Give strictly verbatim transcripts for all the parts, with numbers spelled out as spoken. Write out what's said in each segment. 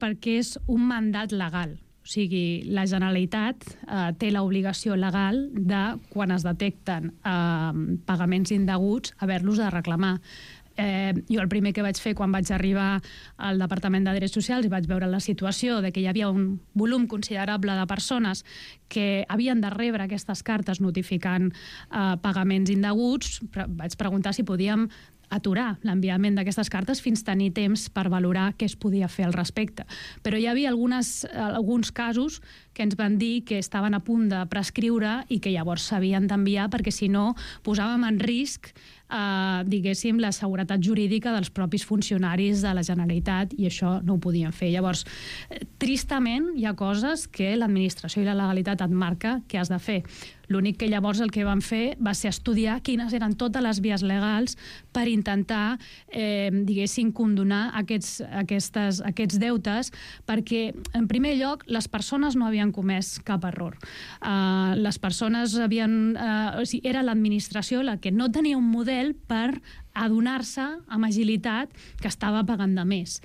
perquè és un mandat legal. O sigui, la Generalitat eh, té l'obligació legal de, quan es detecten eh, pagaments indeguts, haver-los de reclamar. Eh, jo el primer que vaig fer quan vaig arribar al Departament de Drets Socials i vaig veure la situació de que hi havia un volum considerable de persones que havien de rebre aquestes cartes notificant eh, pagaments indeguts, vaig preguntar si podíem aturar l'enviament d'aquestes cartes fins tenir temps per valorar què es podia fer al respecte. Però hi havia algunes, alguns casos que ens van dir que estaven a punt de prescriure i que llavors s'havien d'enviar perquè si no posàvem en risc eh, diguéssim la seguretat jurídica dels propis funcionaris de la Generalitat i això no ho podien fer. Llavors, tristament hi ha coses que l'administració i la legalitat et marca que has de fer. L'únic que llavors el que vam fer va ser estudiar quines eren totes les vies legals per intentar, eh, diguéssim, condonar aquests, aquestes, aquests deutes, perquè, en primer lloc, les persones no havien comès cap error. Uh, les persones havien... Uh, o sigui, era l'administració la que no tenia un model per adonar-se amb agilitat que estava pagant de més.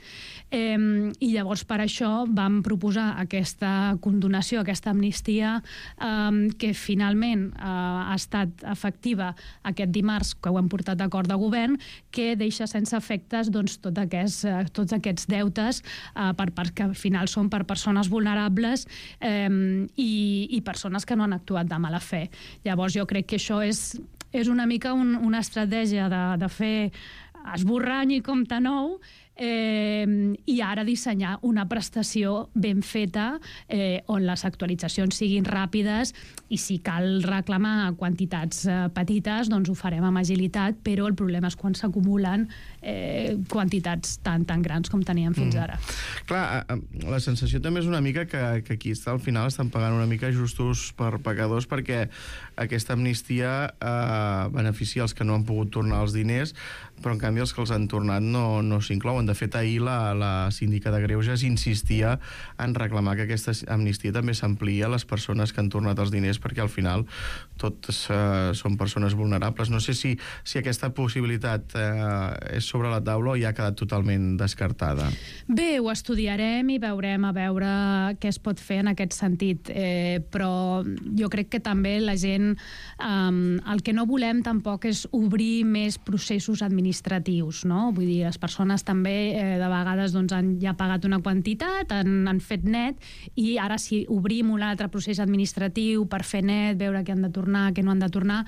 Eh, I llavors per això vam proposar aquesta condonació, aquesta amnistia eh, que finalment eh, ha estat efectiva aquest dimarts, que ho hem portat d'acord de govern, que deixa sense efectes doncs, tot aquests, eh, tots aquests deutes eh, per, per, que al final són per persones vulnerables eh, i, i persones que no han actuat de mala fe. Llavors jo crec que això és és una mica un, una estratègia de, de fer esborrany i compte nou eh, i ara dissenyar una prestació ben feta eh, on les actualitzacions siguin ràpides i si cal reclamar quantitats eh, petites doncs ho farem amb agilitat, però el problema és quan s'acumulen eh, quantitats tan, tan grans com teníem fins ara. Mm. Clar, la sensació també és una mica que, que aquí està, al final estan pagant una mica justos per pecadors perquè aquesta amnistia eh, beneficia els que no han pogut tornar els diners, però en canvi els que els han tornat no, no s'inclouen. De fet, ahir la, la síndica de Greuges insistia en reclamar que aquesta amnistia també s'amplia a les persones que han tornat els diners perquè al final totes eh, són persones vulnerables. No sé si, si aquesta possibilitat eh, és sobre la taula o ja ha quedat totalment descartada. Bé, ho estudiarem i veurem a veure què es pot fer en aquest sentit, eh, però jo crec que també la gent eh, el que no volem tampoc és obrir més processos administratius, no? Vull dir, les persones també eh, de vegades doncs, han ja pagat una quantitat, han, han fet net i ara si obrim un altre procés administratiu per fer net, veure què han de tornar, què no han de tornar,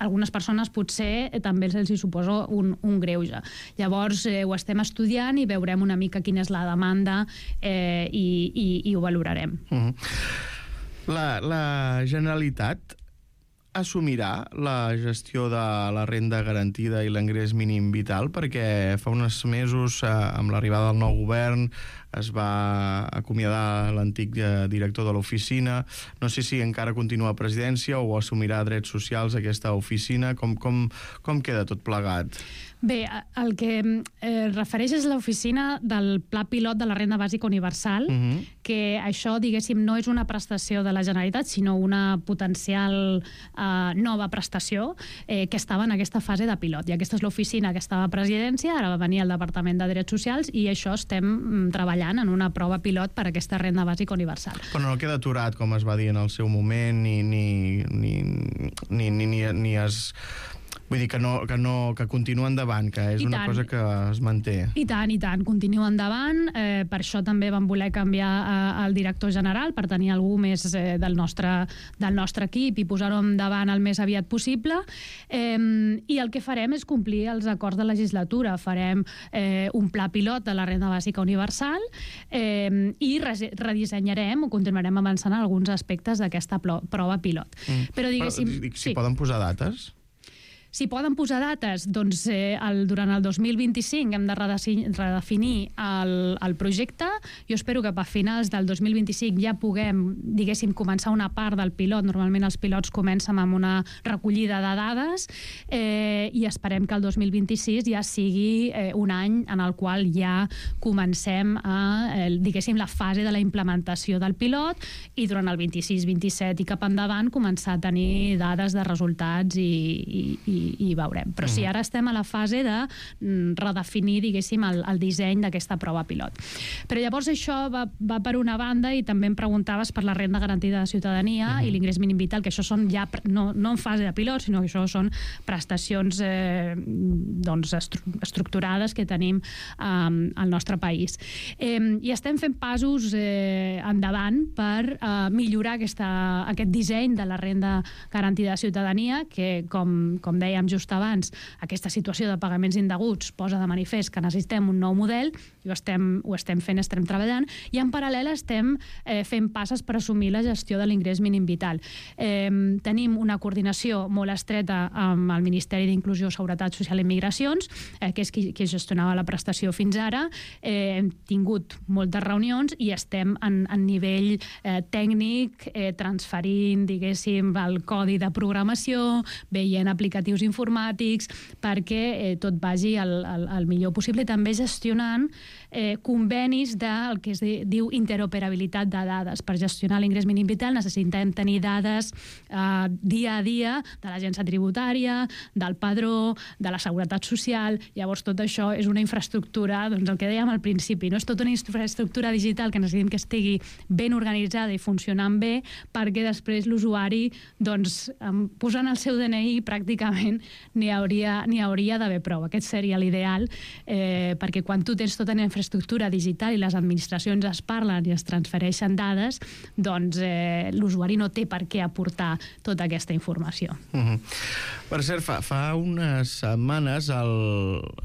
algunes persones potser eh, també els hi suposa un, un greuge. Llavors eh, ho estem estudiant i veurem una mica quina és la demanda eh, i, i, i ho valorarem. Mm-hmm. La, la Generalitat assumirà la gestió de la renda garantida i l'ingrés mínim vital perquè fa uns mesos eh, amb l'arribada del nou govern es va acomiadar l'antic eh, director de l'oficina. No sé si encara continua a presidència o assumirà drets socials aquesta oficina. Com, com, com queda tot plegat? Bé, el que eh, refereix és l'oficina del Pla Pilot de la Renda Bàsica Universal, uh-huh. que això, diguéssim, no és una prestació de la Generalitat, sinó una potencial eh, nova prestació eh, que estava en aquesta fase de pilot. I aquesta és l'oficina que estava a presidència, ara va venir al Departament de Drets Socials i això estem treballant en una prova pilot per a aquesta renda bàsica universal. Però no queda aturat, com es va dir en el seu moment, ni, ni, ni, ni, ni, ni, ni es... Vull dir que, no, que, no, que continua endavant, que és I una tant. cosa que es manté. I tant, i tant, continua endavant. Eh, per això també vam voler canviar eh, el director general, per tenir algú més eh, del, nostre, del nostre equip i posar-ho endavant el més aviat possible. Eh, I el que farem és complir els acords de legislatura. Farem eh, un pla pilot de la renda bàsica universal eh, i redissenyarem o continuarem avançant en alguns aspectes d'aquesta prova pilot. Mm. Però diguéssim... Però, si sí. poden posar dates? Si poden posar dates, doncs eh, el, durant el dos mil vint-i-cinc hem de redefinir el, el projecte. Jo espero que a finals del dos mil vint-i-cinc ja puguem, diguéssim, començar una part del pilot. Normalment els pilots comencen amb una recollida de dades eh, i esperem que el dos mil vint-i-sis ja sigui eh, un any en el qual ja comencem a, eh, diguéssim, la fase de la implementació del pilot i durant el vint-i-sis vint-i-set i cap endavant començar a tenir dades de resultats i, i, i i veurem. Però sí, ara estem a la fase de redefinir, diguéssim, el, el disseny d'aquesta prova pilot. Però llavors això va, va per una banda, i també em preguntaves per la renda garantida de ciutadania uh-huh. i l'ingrés mínim vital, que això són ja no, no en fase de pilot, sinó que això són prestacions eh, doncs, estru estructurades que tenim eh, al nostre país. Eh, I estem fent passos eh, endavant per eh, millorar aquesta, aquest disseny de la renda garantida de ciutadania, que, com, com dèiem just abans, aquesta situació de pagaments indeguts posa de manifest que necessitem un nou model, i ho estem, ho estem fent, estem treballant, i en paral·lel estem eh, fent passes per assumir la gestió de l'ingrés mínim vital. Eh, tenim una coordinació molt estreta amb el Ministeri d'Inclusió, Seguretat Social i Migracions, eh, que és qui, qui gestionava la prestació fins ara. Eh, hem tingut moltes reunions i estem en, en nivell eh, tècnic, eh, transferint, diguéssim, el codi de programació, veient aplicatius informàtics, perquè eh, tot vagi el, el, el millor possible, i també gestionant eh, convenis del que es diu interoperabilitat de dades. Per gestionar l'ingrés mínim vital necessitem tenir dades eh, dia a dia de l'agència tributària, del padró, de la seguretat social. Llavors tot això és una infraestructura, doncs el que dèiem al principi, no? És tota una infraestructura digital que necessitem que estigui ben organitzada i funcionant bé, perquè després l'usuari, doncs, posant el seu D N I pràcticament n'hi hauria, n'hi hauria d'haver prou. Aquest seria l'ideal, eh, perquè quan tu tens tota una infraestructura digital i les administracions es parlen i es transfereixen dades, doncs eh, l'usuari no té per què aportar tota aquesta informació. Uh-huh. Per cert, fa, fa unes setmanes el,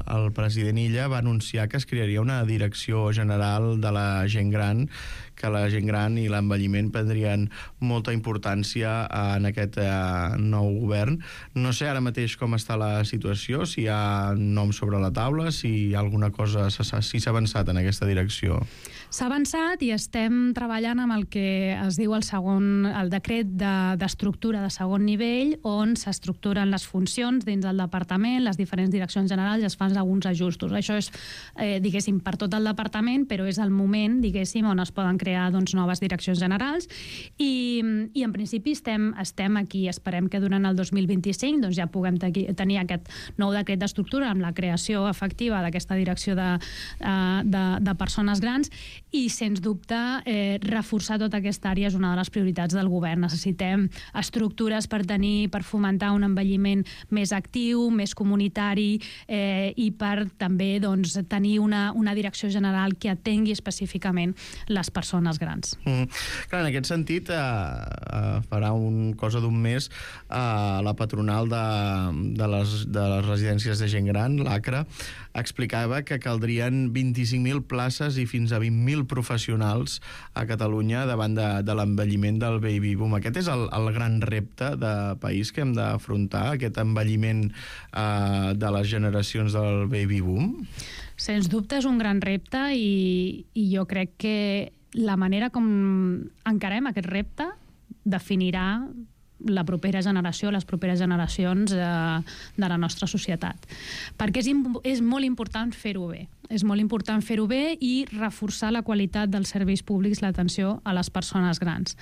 el president Illa va anunciar que es crearia una direcció general de la gent gran, que la gent gran i l'envelliment prendrien molta importància en aquest eh, nou govern. No sé ara mateix com està la situació, si hi ha nom sobre la taula, si hi ha alguna cosa, si s'ha avançat en aquesta direcció. S'ha avançat i estem treballant amb el que es diu el segon, el decret d'estructura de, de segon nivell, on s'estructuren les funcions dins del departament, les diferents direccions generals, i es fan alguns ajustos. Això és, eh, diguéssim, per tot el departament, però és el moment, diguéssim, on es poden crear doncs, noves direccions generals, i, i en principi estem, estem aquí. Esperem que durant el dos mil vint-i-cinc doncs, ja puguem tenir aquest nou decret d'estructura amb la creació efectiva d'aquesta direcció de, de, de persones grans, i, sens dubte, eh, reforçar tota aquesta àrea és una de les prioritats del govern. Necessitem estructures per tenir, per fomentar un envelliment més actiu, més comunitari, eh, i per també doncs, tenir una, una direcció general que atengui específicament les persones grans. Mm. Clar, en aquest sentit, eh, eh, farà un cosa d'un mes eh, la patronal de, de, les, de les residències de gent gran, l'ACRA, explicava que caldrien vint-i-cinc mil places i fins a vint mil professionals a Catalunya davant de, de l'envelliment del baby boom. Aquest és el, el gran repte de país que hem d'afrontar, aquest envelliment eh, de les generacions del baby boom? Sens dubte és un gran repte, i, i jo crec que la manera com encarem aquest repte definirà la propera generació, les properes generacions de, de la nostra societat. Perquè és, és molt important fer-ho bé. És molt important fer-ho bé i reforçar la qualitat dels serveis públics, l'atenció a les persones grans.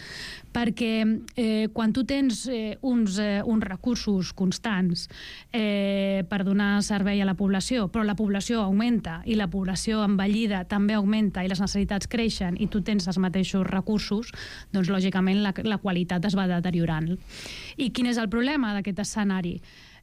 Perquè eh, quan tu tens eh, uns, eh, uns recursos constants eh, per donar servei a la població, però la població augmenta i la població envellida també augmenta i les necessitats creixen i tu tens els mateixos recursos, doncs lògicament la, la qualitat es va deteriorant. I quin és el problema d'aquest escenari?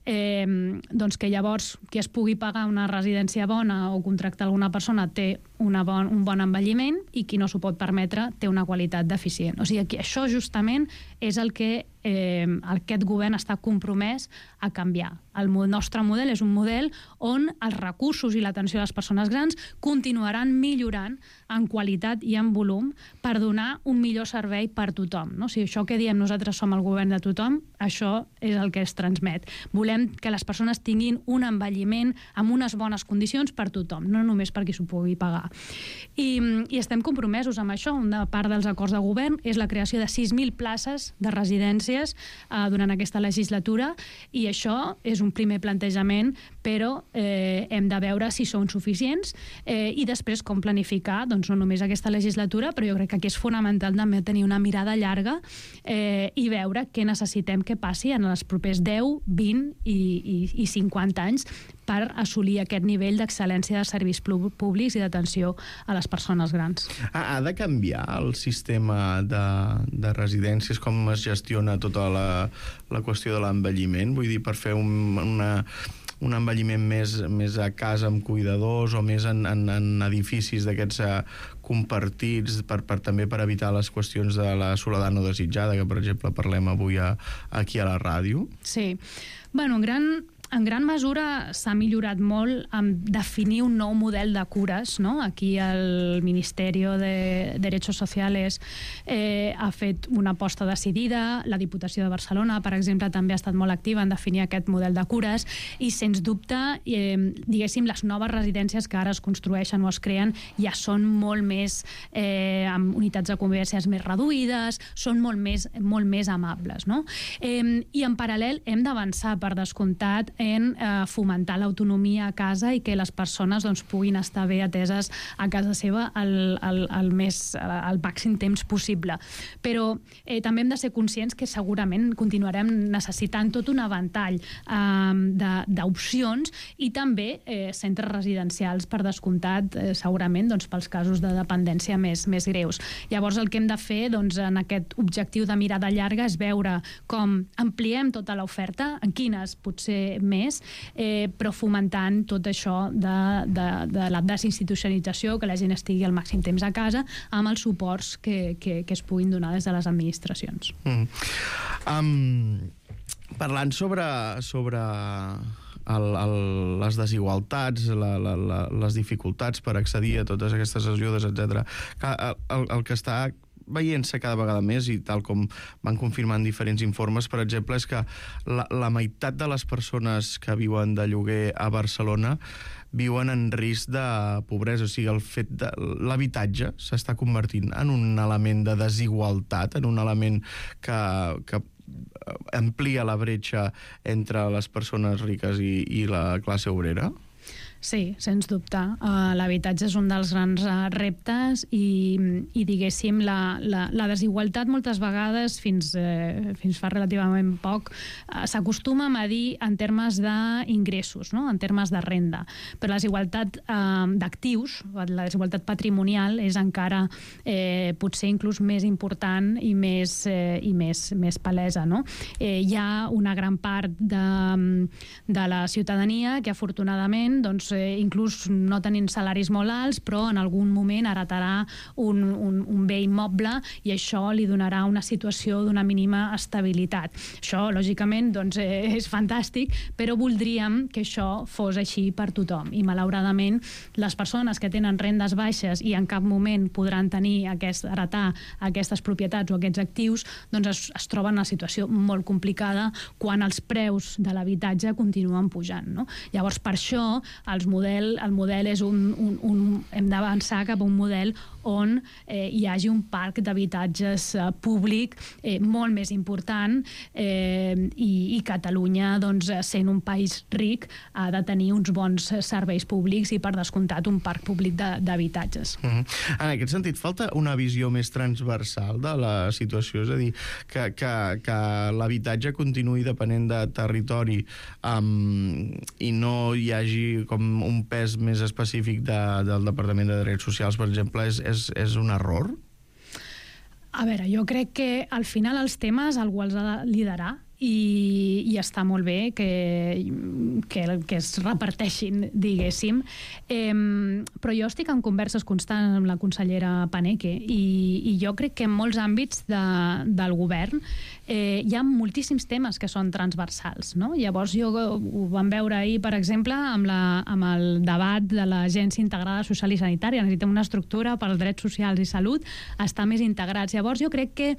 Eh, doncs que llavors qui es pugui pagar una residència bona o contractar alguna persona té una bon, un bon envelliment, i qui no s'ho pot permetre té una qualitat deficient. O sigui, que això justament és el que eh, aquest govern està compromès a canviar. El nostre model és un model on els recursos i l'atenció a les persones grans continuaran millorant en qualitat i en volum per donar un millor servei per tothom. No? O sigui, això que diem nosaltres som el govern de tothom, això és el que es transmet. Volem que les persones tinguin un envelliment amb unes bones condicions per tothom, no només per qui s'ho pugui pagar. I, i estem compromesos amb això. Una part dels acords de govern és la creació de sis mil places de residències eh, durant aquesta legislatura, i això és un primer plantejament, però eh, hem de veure si són suficients eh, i després com planificar, doncs no només aquesta legislatura, però jo crec que aquí és fonamental també tenir una mirada llarga eh, i veure què necessitem que passi en els propers deu, vint i, i, i cinquanta anys per assolir aquest nivell d'excel·lència de serveis públics i d'atenció a les persones grans. Ha, ha de canviar el sistema de, de residències, com es gestiona tota la, la qüestió de l'envelliment? Vull dir, per fer un, una, un envelliment més, més a casa amb cuidadors o més en, en, en edificis d'aquests uh, compartits, per, per, també per evitar les qüestions de la soledat no desitjada, que per exemple parlem avui a, aquí a la ràdio? Sí. Bueno, en gran... En gran mesura s'ha millorat molt en definir un nou model de cures, no? Aquí el Ministeri de Derechos Sociales eh, ha fet una aposta decidida, la Diputació de Barcelona, per exemple, també ha estat molt activa en definir aquest model de cures, i sens dubte, eh, diguéssim, les noves residències que ara es construeixen o es creen ja són molt més, eh, amb unitats de convivències més reduïdes, són molt més, molt més amables, no? Eh, I en paral·lel hem d'avançar, per descomptat, en eh, fomentar l'autonomia a casa i que les persones doncs, puguin estar bé ateses a casa seva el, el, el, més, el màxim temps possible. Però eh, també hem de ser conscients que segurament continuarem necessitant tot un avantall eh, d'opcions i també eh, centres residencials, per descomptat, eh, segurament doncs, pels casos de dependència més, més greus. Llavors el que hem de fer doncs, en aquest objectiu de mirada llarga és veure com ampliem tota l'oferta, en quines potser més, eh, però fomentant tot això de, de, de la desinstitucionalització, que la gent estigui al màxim temps a casa, amb els suports que, que, que es puguin donar des de les administracions. Mm. Um, parlant sobre, sobre el, el, les desigualtats, la, la, la, les dificultats per accedir a totes aquestes ajudes, etcètera, el, el, el que està veient-se cada vegada més, i tal com van confirmant diferents informes, per exemple, és que la, la meitat de les persones que viuen de lloguer a Barcelona viuen en risc de pobresa. O sigui, el fet de l'habitatge s'està convertint en un element de desigualtat, en un element que, que amplia la bretxa entre les persones riques i, i la classe obrera? Sí, sens dubte. Uh, L'habitatge és un dels grans uh, reptes i, i diguéssim, la, la, la desigualtat moltes vegades, fins, eh, fins fa relativament poc, uh, s'acostuma a medir en termes d'ingressos, no? En termes de renda. Però la desigualtat uh, d'actius, la desigualtat patrimonial, és encara eh, potser inclús més important i més, eh, i més, més palesa, no? Eh, hi ha una gran part de, de la ciutadania que afortunadament doncs, inclús no tenint salaris molt alts, però en algun moment heretarà un, un, un bé immoble i això li donarà una situació d'una mínima estabilitat. Això, lògicament, doncs, és fantàstic, però voldríem que això fos així per tothom. I, malauradament, les persones que tenen rendes baixes i en cap moment podran tenir aquest, heretar aquestes propietats o aquests actius, doncs es, es troben en una situació molt complicada quan els preus de l'habitatge continuen pujant, no? Llavors, per això, els model, el model és un, un, un hem d'avançar cap a un model on eh, hi hagi un parc d'habitatges eh, públic eh, molt més important eh, i, i Catalunya, doncs, sent un país ric, ha de tenir uns bons serveis públics i, per descomptat, un parc públic d'habitatges. Mm-hmm. En aquest sentit, falta una visió més transversal de la situació, és a dir, que, que, que l'habitatge continuï depenent de territori um, i no hi hagi com un pes més específic de, del Departament de Drets Socials, per exemple, és, és, és un error? A veure, jo crec que al final els temes algú els ha de liderar i, i està molt bé que, que, que es reparteixin, diguéssim. Eh, però jo estic en converses constants amb la consellera Paneque i, i jo crec que en molts àmbits de, del govern eh, hi ha moltíssims temes que són transversals, no? Llavors jo ho vam veure ahir, per exemple, amb, la, amb el debat de l'Agència Integrada Social i Sanitària. Necessitem una estructura per als drets socials i salut, estar més integrats. Llavors jo crec que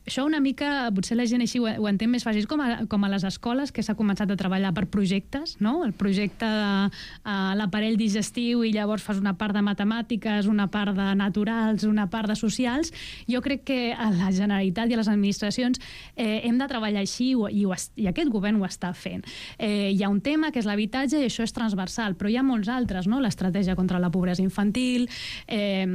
això una mica, potser la gent així ho, ho entén més fàcil, com a, com a les escoles, que s'ha començat a treballar per projectes, no? El projecte de uh, l'aparell digestiu, i llavors fas una part de matemàtiques, una part de naturals, una part de socials. Jo crec que a la Generalitat i a les administracions eh, hem de treballar així, i, ho, i aquest govern ho està fent. Eh, hi ha un tema que és l'habitatge, i això és transversal, però hi ha molts altres, no? L'estratègia contra la pobresa infantil, eh,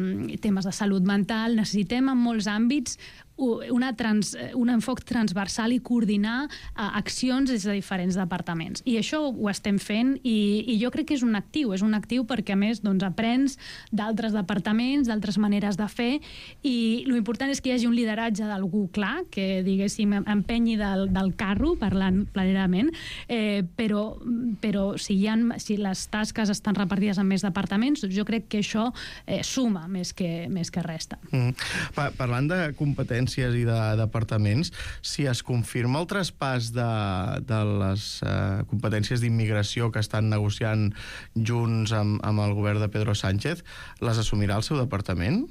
temes de salut mental. Necessitem en molts àmbits una trans, un enfoc transversal i coordinar uh, accions des de diferents departaments. I això ho estem fent, i, i jo crec que és un actiu, és un actiu perquè, a més, doncs, aprens d'altres departaments, d'altres maneres de fer, i l'important és que hi hagi un lideratge d'algú clar, que, diguéssim, empenyi del, del carro, parlant planerament, eh, però, però si, hi ha, si les tasques estan repartides en més departaments, doncs jo crec que això eh, suma més que, més que resta. Mm. Pa parlant de competències i de departaments, si es confirma el traspàs de, de les uh, competències d'immigració que estan negociant junts amb, amb el govern de Pedro Sánchez, les assumirà el seu departament?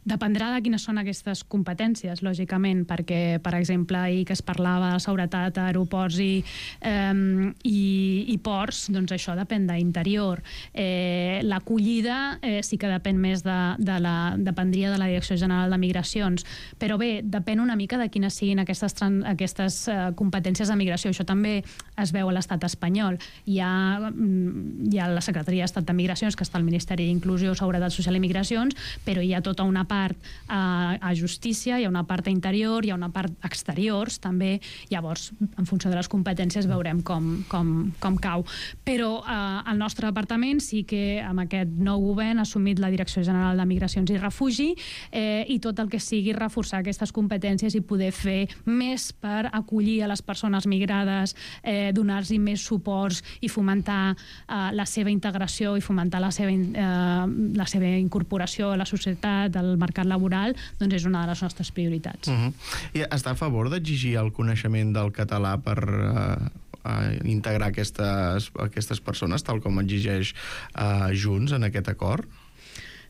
Dependrà de quines són aquestes competències, lògicament, perquè, per exemple, ahir que es parlava de seguretat a aeroports i, eh, i, i ports, doncs això depèn d'Interior. Eh, L'acollida eh, sí que depèn més de, de la, dependria de la Direcció General de Migracions, però bé, depèn una mica de quines siguin aquestes, aquestes eh, competències de migració. Això també es veu a l'estat espanyol. Hi ha, hi ha la Secretaria d'Estat de Migracions, que està al Ministeri d'Inclusió, Seguretat Social i Migracions, però hi ha tota una part a, a Justícia, hi ha una part a Interior, hi ha una part a Exteriors, també. Llavors, en funció de les competències, veurem com, com, com cau. Però eh, el nostre departament sí que amb aquest nou govern ha assumit la Direcció General de Migracions i Refugi, eh, i tot el que sigui reforçar aquestes competències i poder fer més per acollir a les persones migrades, eh, donar-los més suports i fomentar eh, la seva integració i fomentar la seva, eh, la seva incorporació a la societat, al mercat laboral, doncs és una de les nostres prioritats. Uh-huh. I està a favor d'exigir el coneixement del català per uh, uh, integrar aquestes, aquestes persones, tal com exigeix uh, Junts en aquest acord?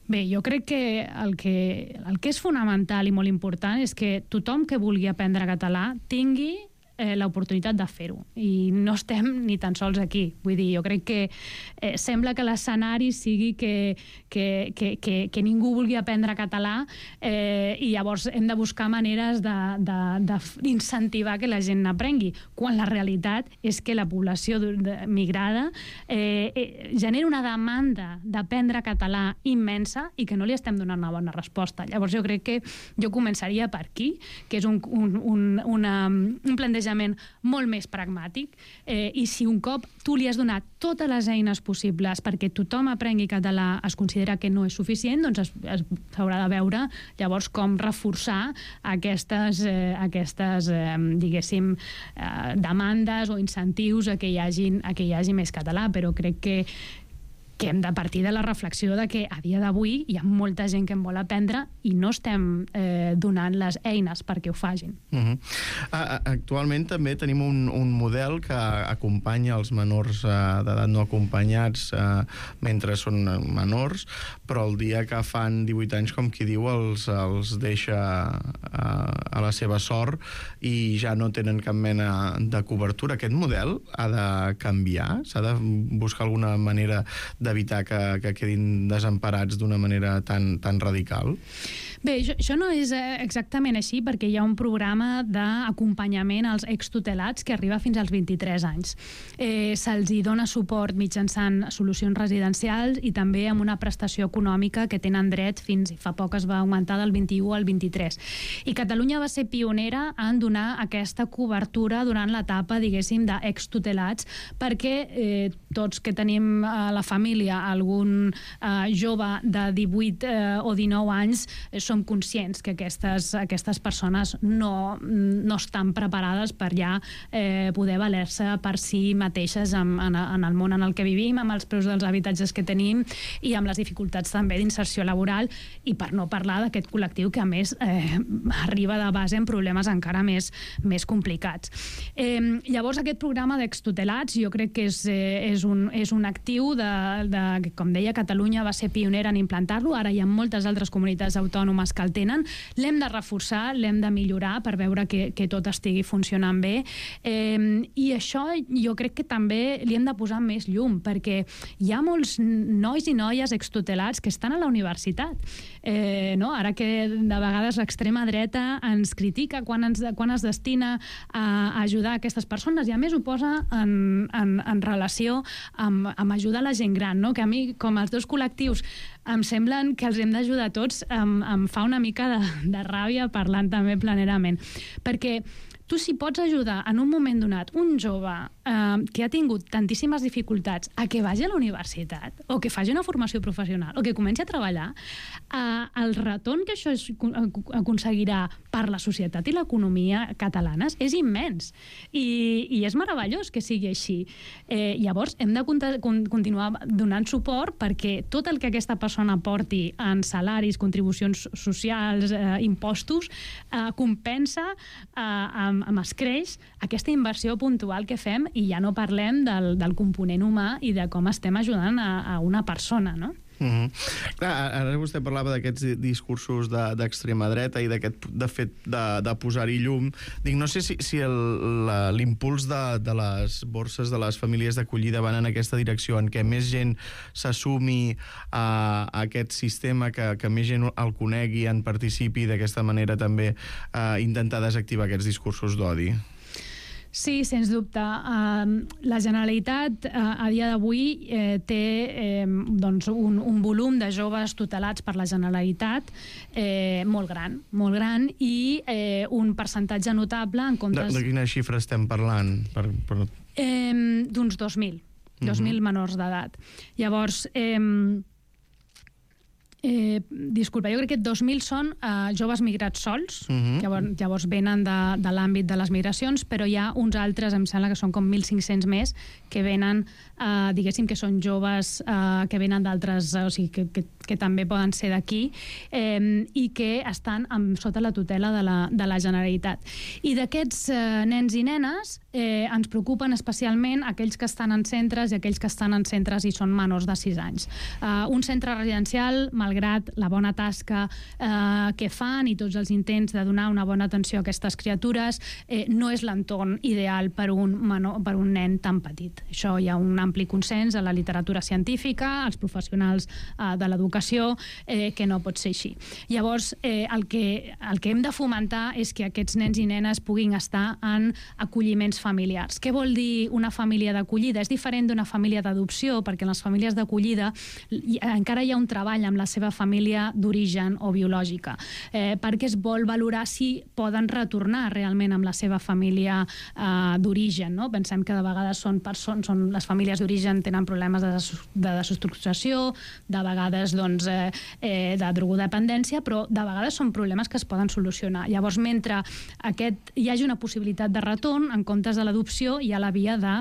Bé, jo crec que el, que el que és fonamental i molt important és que tothom que vulgui aprendre català tingui Eh, l'oportunitat de fer-ho, i no estem ni tan sols aquí. Vull dir, jo crec que eh, sembla que l'escenari sigui que, que, que, que, que ningú vulgui aprendre català, eh, i llavors hem de buscar maneres d'incentivar que la gent n'aprengui, quan la realitat és que la població migrada eh, eh, genera una demanda d'aprendre català immensa i que no li estem donant una bona resposta. Llavors jo crec que jo començaria per aquí, que és un, un, un, una, un plantejament molt més pragmàtic, eh, i si un cop tu li has donat totes les eines possibles perquè tothom aprengui català, es considera que no és suficient, doncs s'haurà de veure llavors com reforçar aquestes, eh, aquestes eh, diguéssim, eh, demandes o incentius a que hi hagi, a que hi hagi més català, però crec que que hem de partir de la reflexió de que a dia d'avui hi ha molta gent que en vol aprendre i no estem eh, donant les eines perquè ho facin. Uh-huh. Actualment també tenim un, un model que acompanya els menors eh, d'edat no acompanyats eh, mentre són menors, però el dia que fan divuit anys, com qui diu, els, els deixa eh, a la seva sort i ja no tenen cap mena de cobertura. Aquest model ha de canviar? S'ha de buscar alguna manera d'evitar que, que quedin desemparats d'una manera tan, tan radical? Bé, això, això no és exactament així, perquè hi ha un programa d'acompanyament als extutelats que arriba fins als vint-i-tres anys. Eh, Se'ls hi dona suport mitjançant solucions residencials i també amb una prestació econòmica que tenen dret fins, fa poc es va augmentar del vint-i-u al vint-i-tres. I Catalunya va ser pionera en donar aquesta cobertura durant l'etapa, diguéssim, d'extutelats, perquè eh, tots que tenim a la família algun eh, jove de divuit eh, o dinou anys eh, som conscients que aquestes, aquestes persones no, no estan preparades per ja eh, poder valer-se per si mateixes en, en, en el món en el que vivim, amb els preus dels habitatges que tenim i amb les dificultats també d'inserció laboral, i per no parlar d'aquest col·lectiu que a més eh, arriba de base en problemes encara més, més complicats. Eh, llavors aquest programa d'extutelats jo crec que és, eh, és, un, és un actiu de, de, com deia, Catalunya va ser pionera en implantar-lo, ara hi ha moltes altres comunitats autònomes autònomes que el tenen. L'hem de reforçar, l'hem de millorar per veure que, que tot estigui funcionant bé. Eh, I això jo crec que també li hem de posar més llum, perquè hi ha molts nois i noies extutelats que estan a la universitat. Eh, no? Ara que de vegades l'extrema dreta ens critica quan, ens, quan es destina a ajudar aquestes persones, i a més ho posa en, en, en relació amb, amb ajudar la gent gran, no? Que a mi, com els dos col·lectius, em semblen que els hem d'ajudar tots, em, em fa una mica de, de ràbia parlant també planerament. Perquè tu, si pots ajudar en un moment donat un jove eh, que ha tingut tantíssimes dificultats a que vagi a la universitat o que faci una formació professional o que comenci a treballar, eh, el retorn que això es, aconseguirà per la societat i l'economia catalanes és immens. I, i és meravellós que sigui així. Eh, llavors, hem de continuar donant suport perquè tot el que aquesta persona porti en salaris, contribucions socials, eh, impostos, eh, compensa eh, amb amb escreix aquesta inversió puntual que fem, i ja no parlem del, del component humà i de com estem ajudant a, a una persona, no? Mm-hmm. Clar, ara vostè parlava d'aquests discursos d'extrema de, dreta i d'aquest de fet de, de posar-hi llum. Dic, no sé si, si l'impuls de, de les borses de les famílies d'acollida van en aquesta direcció, en què més gent s'assumi a, a aquest sistema, que, que més gent el conegui, en participi, d'aquesta manera també a intentar desactivar aquests discursos d'odi. Sí, sens dubte. Uh, la Generalitat uh, a dia d'avui eh, té eh, doncs un, un volum de joves tutelats per la Generalitat eh, molt gran, molt gran, i eh, un percentatge notable en comptes... De, de quina xifra estem parlant? Per, per... Eh, d'uns dos mil, dos mil uh-huh. menors d'edat. Llavors... Eh, Eh, disculpa, jo crec que dos mil són eh, joves migrats sols, uh-huh. llavors, llavors venen de, de l'àmbit de les migracions, però hi ha uns altres, em sembla que són com mil cinc-cents més, que venen, eh, diguéssim que són joves eh, que venen d'altres, o sigui, que, que, que també poden ser d'aquí, eh, i que estan amb, sota la tutela de la, de la Generalitat. I d'aquests eh, nens i nenes eh, ens preocupen especialment aquells que estan en centres i aquells que estan en centres i són menors de sis anys. Eh, un centre residencial, malgrat la bona tasca eh, que fan i tots els intents de donar una bona atenció a aquestes criatures, eh, no és l'entorn ideal per un, menor, per un nen tan petit. Això hi ha un ampli consens a la literatura científica, als professionals eh, de l'educació, eh, que no pot ser així. Llavors, eh, el, que, el que hem de fomentar és que aquests nens i nenes puguin estar en acolliments familiars. Què vol dir una família d'acollida? És diferent d'una família d'adopció, perquè en les famílies d'acollida encara hi ha un treball amb la seva família d'origen o biològica, eh, perquè es vol valorar si poden retornar realment amb la seva família eh, d'origen, no? Pensem que de vegades són persones, són les famílies d'origen tenen problemes de, des, de desestructuració, de vegades doncs, eh, eh, de drogodependència, però de vegades són problemes que es poden solucionar. Llavors, mentre aquest, hi hagi una possibilitat de retorn, en comptes de l'adopció hi ha la via de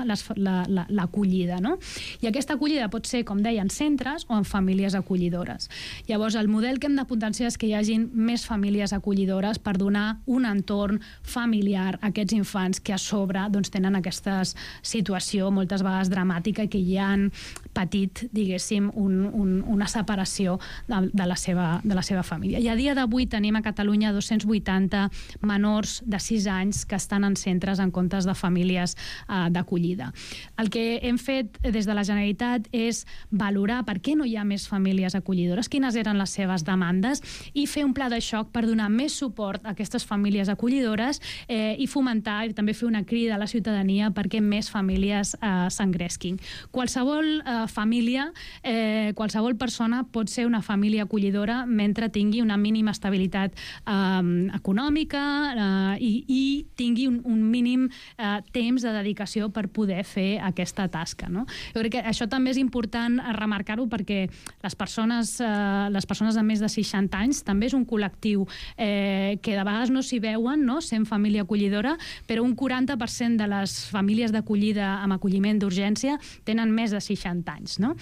l'acollida, no? I aquesta acollida pot ser, com deia, en centres o en famílies acollidores. Llavors, el model que hem de potenciar és que hi hagin més famílies acollidores per donar un entorn familiar a aquests infants que a sobre doncs, tenen aquesta situació moltes vegades dramàtica i que hi han patit, diguéssim, un, un, una separació de, de, la seva, de la seva família. I a dia d'avui tenim a Catalunya dos-cents vuitanta menors de sis anys que estan en centres en comptes de famílies eh, d'acollida. El que hem fet des de la Generalitat és valorar per què no hi ha més famílies acollidores, quines eren les seves demandes, i fer un pla de xoc per donar més suport a aquestes famílies acollidores eh, i fomentar i també fer una crida a la ciutadania perquè més famílies eh, s'engresquin. Qualsevol eh, família, eh, qualsevol persona pot ser una família acollidora mentre tingui una mínima estabilitat eh, econòmica eh, i, i tingui un, un mínim eh, temps de dedicació per poder fer aquesta tasca, no? Jo crec que això també és important remarcar-ho perquè les persones, eh, les persones de més de seixanta anys també és un col·lectiu eh, que de vegades no s'hi veuen, no? Sent família acollidora, però un quaranta per cent de les famílies d'acollida amb acolliment d'urgència tenen més de seixanta anys, no?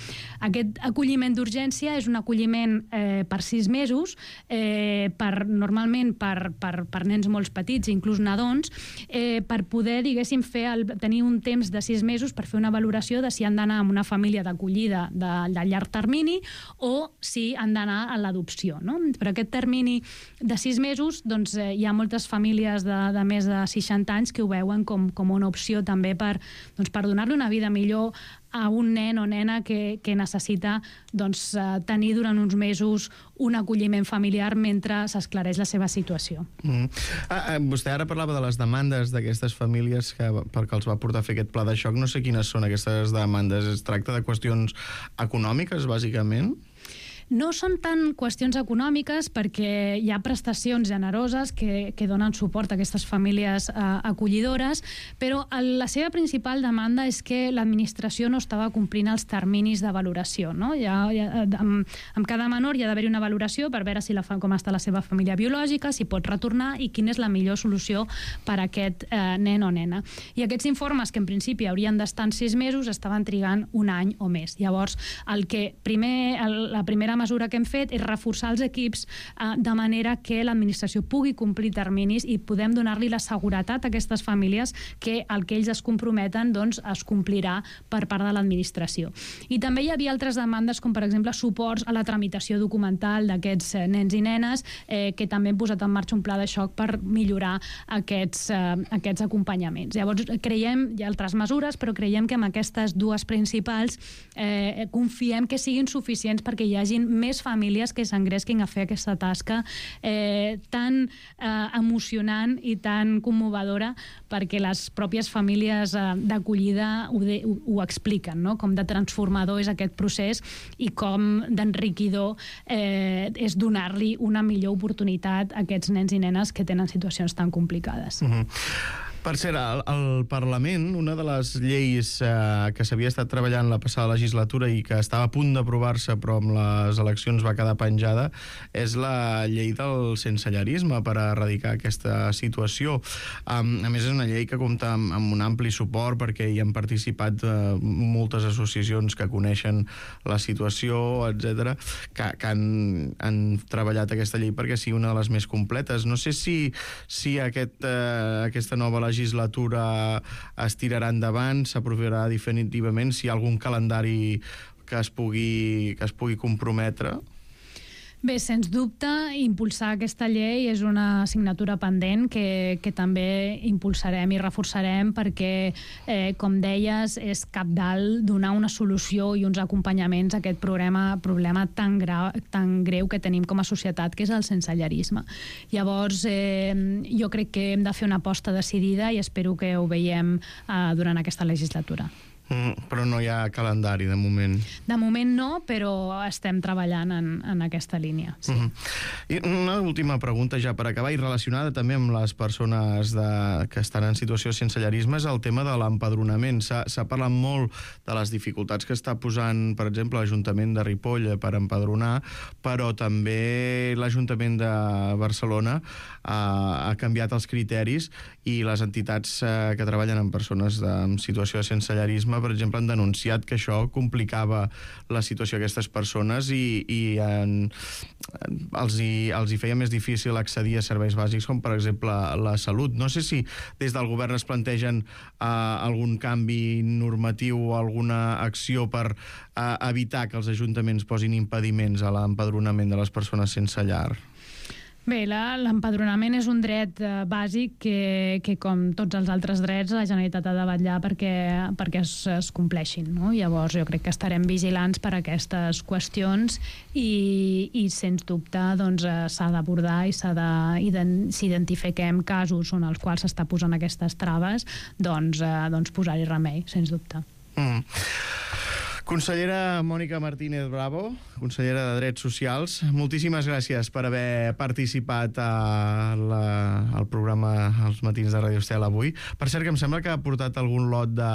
Aquest acolliment d'urgència és un acolliment eh, per sis mesos, eh, per, normalment per, per, per nens molt petits, inclús nadons, eh, per poder, diguéssim, fer el, tenir un temps de sis mesos per fer una valoració de si han d'anar amb una família d'acollida de, de llarg termini o si han d'anar a l'adopció, no? Per aquest termini de sis mesos, doncs, eh, hi ha moltes famílies de, de més de seixanta anys que ho veuen com, com una opció també per, doncs, per donar-li una vida millor a un nen o nena que, que necessita doncs, eh, tenir durant uns mesos un acolliment familiar mentre s'esclareix la seva situació. Mm. Ah, ah, vostè ara parlava de les demandes d'aquestes famílies que, perquè els va portar a fer aquest pla de xoc. No sé quines són aquestes demandes. Es tracta de qüestions econòmiques, bàsicament? No són tant qüestions econòmiques perquè hi ha prestacions generoses que, que donen suport a aquestes famílies eh, acollidores, però el, la seva principal demanda és que l'administració no estava complint els terminis de valoració. No? Hi ha, hi ha, amb, amb cada menor hi ha d'haver una valoració per veure si la, com està la seva família biològica, si pot retornar i quina és la millor solució per a aquest eh, nen o nena. I aquests informes, que en principi haurien d'estar en sis mesos, estaven trigant un any o més. Llavors, el que primer, el, la primera mesura que hem fet és reforçar els equips eh, de manera que l'administració pugui complir terminis i podem donar-li la seguretat a aquestes famílies que el que ells es comprometen doncs, es complirà per part de l'administració. I també hi havia altres demandes com per exemple suports a la tramitació documental d'aquests eh, nens i nenes eh, que també hem posat en marxa un pla de xoc per millorar aquests, eh, aquests acompanyaments. Llavors creiem, hi ha altres mesures, però creiem que amb aquestes dues principals eh, confiem que siguin suficients perquè hi hagin més famílies que s'engresquin a fer aquesta tasca eh, tan eh, emocionant i tan commovedora perquè les pròpies famílies eh, d'acollida ho, de, ho, ho expliquen, no? Com de transformador és aquest procés i com d'enriquidor eh, és donar-li una millor oportunitat a aquests nens i nenes que tenen situacions tan complicades. Mm-hmm. Per cert, al, al Parlament, una de les lleis eh, que s'havia estat treballant la passada legislatura i que estava a punt d'aprovar-se però amb les eleccions va quedar penjada, és la llei del sensellarisme per erradicar aquesta situació. Um, a més, és una llei que compta amb, amb un ampli suport perquè hi han participat eh, moltes associacions que coneixen la situació, etcètera, que, que han, han treballat aquesta llei perquè sigui una de les més completes. No sé si, si aquest, eh, aquesta nova legislatura legislatura es tirarà endavant, s'aprovarà definitivament, si hi ha algun calendari que es pugui, que es pugui comprometre. Bé, sens dubte, impulsar aquesta llei és una assignatura pendent que, que també impulsarem i reforçarem perquè, eh, com deies, és cabdal donar una solució i uns acompanyaments a aquest problema, problema tan, gra, tan greu que tenim com a societat, que és el sensellarisme. Llavors, eh, jo crec que hem de fer una aposta decidida i espero que ho veiem eh, durant aquesta legislatura. Mm, però no hi ha calendari, de moment. De moment no, però estem treballant en, en aquesta línia. Sí. Mm-hmm. I una última pregunta ja per acabar, i relacionada també amb les persones de, que estan en situació de sensellarisme, és el tema de l'empadronament. S'ha parlat molt de les dificultats que està posant, per exemple, l'Ajuntament de Ripoll per empadronar, però també l'Ajuntament de Barcelona ha, ha canviat els criteris i les entitats eh, que treballen amb persones de, en situació de sensellarisme, per exemple, han denunciat que això complicava la situació d'aquestes persones i, i en, els, hi, els hi feia més difícil accedir a serveis bàsics com, per exemple, la salut. No sé si des del govern es plantegen uh, algun canvi normatiu o alguna acció per uh, evitar que els ajuntaments posin impediments a l'empadronament de les persones sense llar. Bé, l'empadronament és un dret eh, bàsic que, que, com tots els altres drets, la Generalitat ha de vetllar perquè, perquè es, es compleixin, no? Llavors, jo crec que estarem vigilants per aquestes qüestions i, i sens dubte, doncs, eh, s'ha d'abordar i s'ha de, si identifiquem casos en els quals s'està posant aquestes traves, doncs, eh, doncs posar-hi remei, sens dubte. Mm. Consellera Mònica Martínez Bravo, consellera de Drets Socials, moltíssimes gràcies per haver participat a la, al programa Els Matins de Radio Estel avui. Per cert, que em sembla que ha portat algun lot de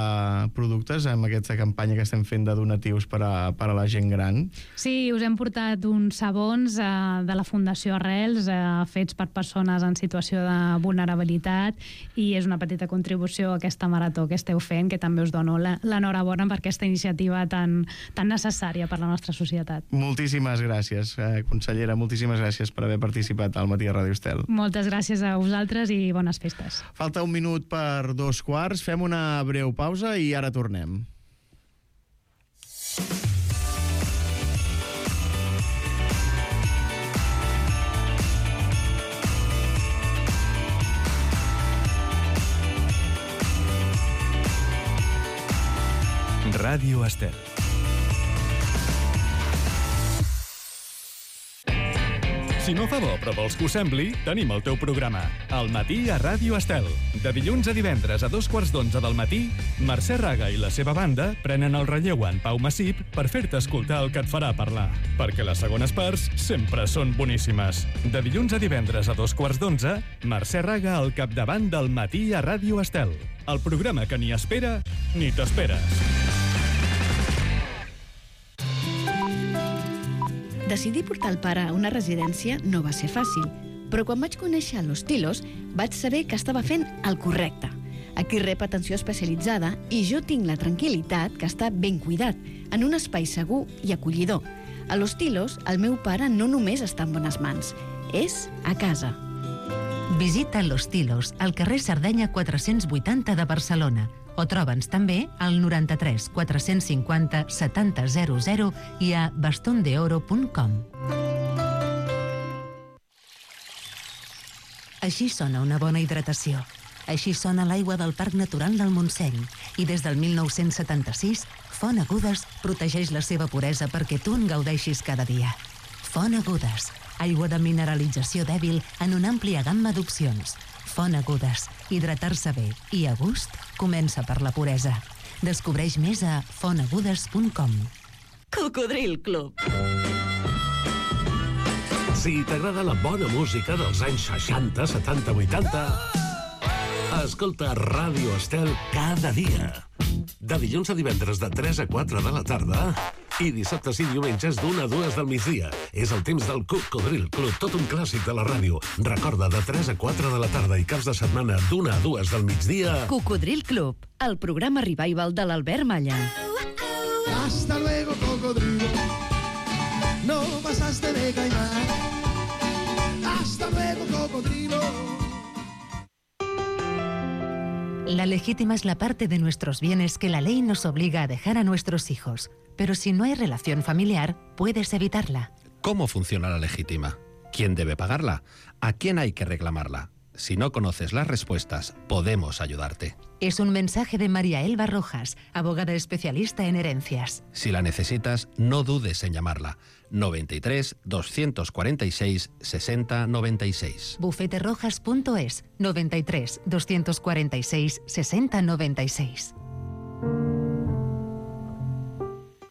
productes amb aquesta campanya que estem fent de donatius per a, per a la gent gran. Sí, us hem portat uns sabons eh, de la Fundació Arrels, eh, fets per persones en situació de vulnerabilitat, i és una petita contribució a aquesta marató que esteu fent, que també us dono l'enhorabona per aquesta iniciativa tan Tan, tan necessària per la nostra societat. Moltíssimes gràcies, eh, consellera, moltíssimes gràcies per haver participat al Matí a Ràdio Estel. Moltes gràcies a vosaltres i bones festes. Falta un minut per dos quarts, fem una breu pausa i ara tornem. Ràdio Estel. Si no fa bo però vols que ho sembli, tenim el teu programa, Al matí a Ràdio Estel. De dilluns a divendres a dos quarts d'onze del matí, Mercè Raga i la seva banda prenen el relleu en Pau Massip per fer-te escoltar el que et farà parlar. Perquè les segones parts sempre són boníssimes. De dilluns a divendres a dos quarts d'onze, Mercè Raga al capdavant del matí a Ràdio Estel. El programa que ni espera ni t'esperes. Decidir portar el pare a una residència no va ser fàcil, però quan vaig conèixer Los Tilos vaig saber que estava fent el correcte. Aquí rep atenció especialitzada i jo tinc la tranquil·litat que està ben cuidat, en un espai segur i acollidor. A Los Tilos, el meu pare no només està en bones mans, és a casa. Visita Los Tilos, al carrer Sardenya quatre-cents vuitanta de Barcelona, o troba'ns també al noranta-tres quatre-cents cinquanta setanta zero zero i a bastondeoro punt com. Així sona una bona hidratació. Així sona l'aigua del Parc Natural del Montseny. I des del mil nou-cents setanta-sis, Font Agudes protegeix la seva puresa perquè tu en gaudeixis cada dia. Font Agudes, aigua de mineralització dèbil en una àmplia gamma d'opcions. Font Agudes, hidratar-se bé i a gust comença per la puresa. Descobreix més a font agudes punt com. Cocodril Club. Si t'agrada la bona música dels anys seixanta, setanta, vuitanta, escolta Ràdio Estel cada dia. De dilluns a divendres de tres a quatre de la tarda i dissabtes i diumenges d'una a dues del migdia. És el temps del Cocodril Club, tot un clàssic de la ràdio. Recorda, de tres a quatre de la tarda i caps de setmana d'una a dues del migdia. Cocodril Club, el programa revival de l'Albert Malla. Hasta luego, cocodrilo. No pasaste de caimán. Hasta luego, cocodrilo. La legítima es la parte de nuestros bienes que la ley nos obliga a dejar a nuestros hijos. Pero si no hay relación familiar, puedes evitarla. ¿Cómo funciona la legítima? ¿Quién debe pagarla? ¿A quién hay que reclamarla? Si no conoces las respuestas, podemos ayudarte. Es un mensaje de María Elba Rojas, abogada especialista en herencias. Si la necesitas, no dudes en llamarla. noventa y tres, doscientos cuarenta y seis, sesenta, noventa y seis. bufete rojas punto es, noventa y tres, doscientos cuarenta y seis, sesenta, noventa y seis.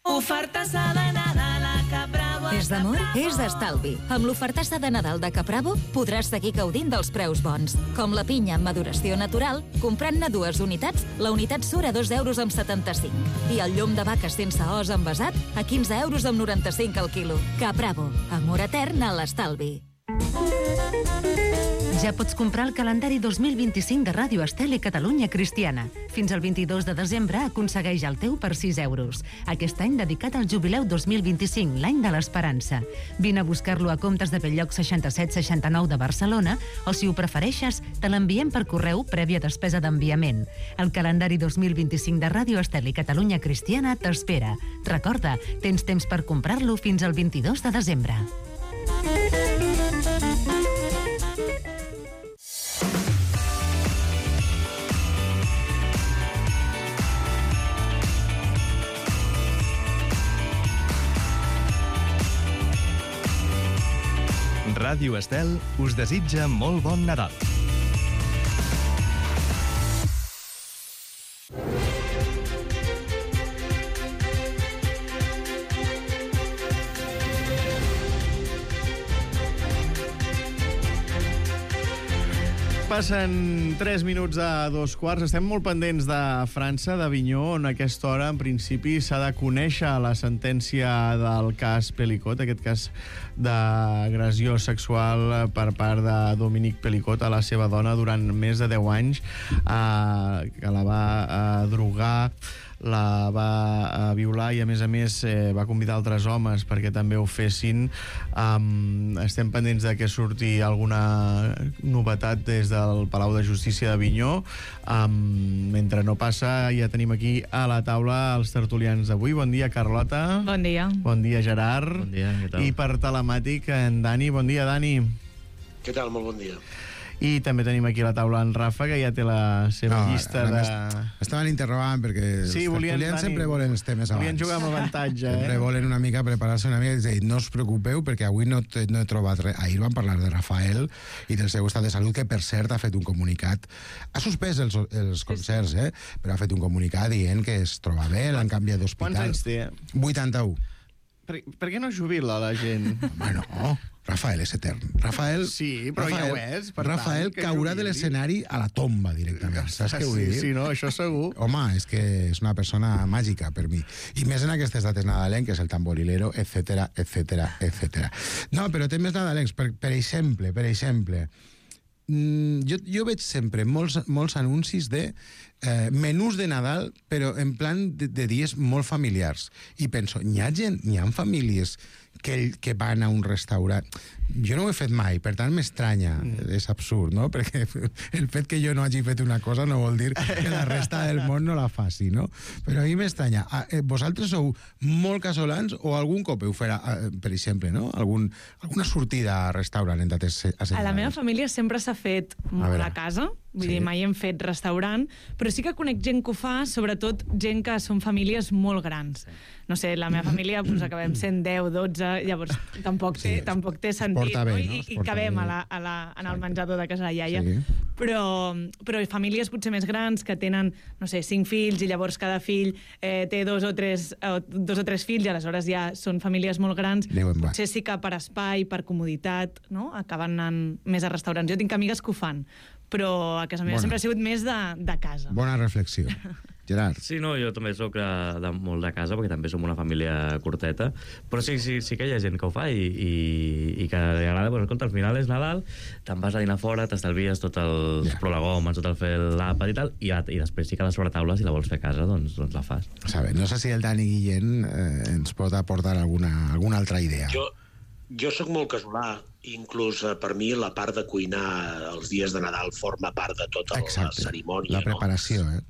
Ofertassa de Nadal a Capravo. És d'amor? És d'estalvi. Amb l'ofertassa de Nadal de Capravo podràs seguir gaudint dels preus bons. Com la pinya en maduració natural, comprant-ne dues unitats, la unitat surt a dos euros amb setanta-cinc. I el llom de vaca sense os envasat a quinze euros amb noranta-cinc al quilo. Capravo. Amor etern a l'estalvi. Ja pots comprar el calendari dos mil vint-i-cinc de Ràdio Estel i Catalunya Cristiana. Fins al vint-i-dos de desembre aconsegueix el teu per sis euros. Aquest any dedicat al jubileu dos mil vint-i-cinc, l'any de l'esperança. Vine a buscar-lo a Comptes de Belllloc seixanta-set seixanta-nou de Barcelona o, si ho prefereixes, te l'enviem per correu prèvia despesa d'enviament. El calendari dos mil vint-i-cinc de Ràdio Estel i Catalunya Cristiana t'espera. Recorda, tens temps per comprar-lo fins al vint-i-dos de desembre. Ràdio Estel us desitja molt bon Nadal. Passen tres minuts a dos quarts. Estem molt pendents de França, d'Avinyó, on a aquesta hora, en principi, s'ha de conèixer la sentència del cas Pelicot, aquest cas d'agressió sexual per part de Dominique Pelicot a la seva dona durant més de deu anys, eh, que la va eh, drogar, la va eh, violar i, a més a més, eh, va convidar altres homes perquè també ho fessin. Um, estem pendents de que surti alguna novetat des del Palau de Justícia d'Avinyó. Um, mentre no passa, ja tenim aquí a la taula els tertulians d'avui. Bon dia, Carlota. Bon dia. Bon dia, Gerard. Bon dia, què tal? I per telemàtic, en Dani. Bon dia, Dani. Què tal? Molt bon dia. I també tenim aquí a la taula en Rafa, que ja té la seva No, llista ara de... m'est- Estaven interrogant perquè Sí, els volien, tertulians Dani, sempre volen els temes abans. volien jugar amb avantatge, eh? Sempre volen una mica preparar-se una mica i dir, no us preocupeu perquè avui no, te, no he trobat res. Ahir van parlar de Rafael i del seu estat de salut, que per cert ha fet un comunicat. Ha suspès els, els concerts, eh? Però ha fet un comunicat dient que es troba bé, l'han canviat d'hospital. Quants anys té? vuitanta-u. Per, per què no jubila la gent? Home, no. Rafael és etern. Rafael, Sí, però Rafael, ja ho és. Per Rafael tant, que caurà de jubili. l'escenari a la tomba directament. Saps què vull Sí, dir? sí, no, això segur. Home, és que és una persona màgica per mi. I més en aquestes dates nadalenques, el tamborilero, etcètera, etcètera, etcètera. No, però temes nadalencs, per, per exemple, per exemple, mm, jo, jo veig sempre molts, molts anuncis de eh, menús de Nadal, però en plan de, de dies molt familiars. I penso, n'hi ha gent, n'hi ha famílies que, que van a un restaurant. Jo no ho he fet mai, per tant m'estranya. Mm. És absurd, no? Perquè el fet que jo no hagi fet una cosa no vol dir que la resta del món no la faci, no? Però a mi m'estranya. Ah, eh, vosaltres sou molt casolans o algun cop heu fet, eh, per exemple, no? Algun, alguna sortida a restaurant en dates assenyalades? A la meva família sempre s'ha fet A molt veure. a casa, vull Sí. dir, mai hem fet restaurant, però sí que conec gent que ho fa, sobretot gent que són famílies molt grans. No sé, la meva família doncs, acabem sent deu, dotze, llavors tampoc té, sí, tampoc té sentit, porta bé, no? no? I, Es i porta cabem bé. a la, a la, en el menjador de casa de iaia. Sí. Però, però famílies potser més grans que tenen, no sé, cinc fills i llavors cada fill eh, té dos o, tres, eh, dos o tres fills i aleshores ja són famílies molt grans. Déu en va. Potser sí que per espai, per comoditat, no? Acaben anant més a restaurants. Jo tinc amigues que ho fan, però a casa meva Bona. sempre ha sigut més de, de casa. Bona reflexió. Gerard. Sí, no, jo també sóc de, de molt de casa, perquè també som una família curteta, però sí, sí, sí que hi ha gent que ho fa i, i, i que li agrada, doncs, escolta, al final és Nadal, te'n vas a dinar fora, t'estalvies tots els yeah. prolegòmens, tot el fer l'àpat i tal, i, i després sí que a la sobretaula, si la vols fer a casa, doncs, doncs la fas. Saber, no sé si el Dani Guillén eh, ens pot aportar alguna, alguna altra idea. Jo, jo sóc molt casolà, inclús eh, per mi la part de cuinar els dies de Nadal forma part de tota Exacte. la cerimònia. La preparació, eh?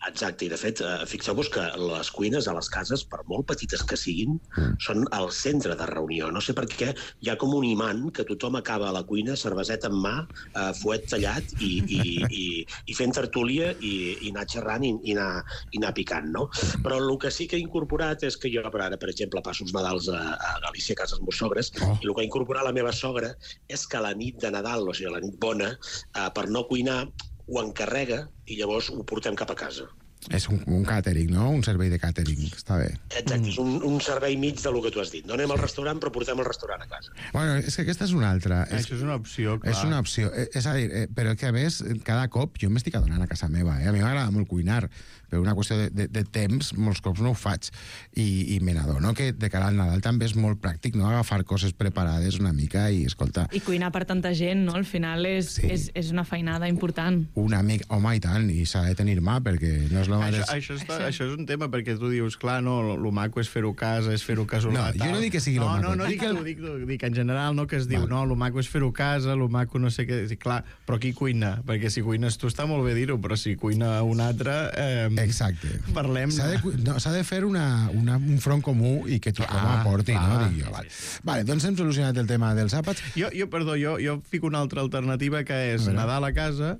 Exacte, i de fet, eh, fixeu-vos que les cuines a les cases, per molt petites que siguin, mm. són el centre de reunió. No sé per què hi ha com un imant que tothom acaba a la cuina, cerveseta en mà, eh, fuet tallat i, i, i, i fent tertúlia i, i anar xerrant i, i, anar, i anar picant, no? Però el que sí que he incorporat és que jo, per ara, per exemple, passo els Nadals a, a Galícia, a casa dels meus sogres, oh. i el que ha incorporat la meva sogra és que la nit de Nadal, o sigui, la nit bona, eh, per no cuinar, ho encarrega i llavors ho portem cap a casa. És un, un càtering, no? Un servei de càtering, està bé. Exacte, és un, un servei mig de lo que tu has dit. No anem al restaurant, però portem el restaurant a casa. Bueno, és que aquesta és una altra. Això és una opció, clar. És una opció. Eh, És a dir, eh, però que a més, cada cop jo m'estic adonant a casa meva, eh? A mi m'agrada molt cuinar, per una qüestió de, de, de temps, molts cops no ho faig. I, i me n'adono que de cara al Nadal també és molt pràctic, no? Agafar coses preparades una mica i, escolta... I cuinar per tanta gent, no? Al final és, sí. és, és una feinada important. Una mica, home, i tant, i s'ha de tenir mà, perquè no és el mateix... Això, això, està, això és un tema, perquè tu dius, clar, no, lo maco és fer-ho a casa, és fer-ho casolà. No, jo no dic que sigui lo no, maco. No, no, dic, tu, dic, tu, dic en general, no, que es diu, Val. no, lo maco és fer-ho a casa, lo maco no sé què... Sí, clar, però qui cuina? Perquè si cuines tu està molt bé dir-ho, però si cuina un altre... Eh, Exacte. Parlem... S'ha de, no, s'ha de fer una, una, un front comú i que tothom ah, aporti, ah, no? Dic jo, vale. Vale, doncs hem solucionat el tema dels àpats. Jo, jo perdó, jo, jo fico una altra alternativa, que és a Nadal a casa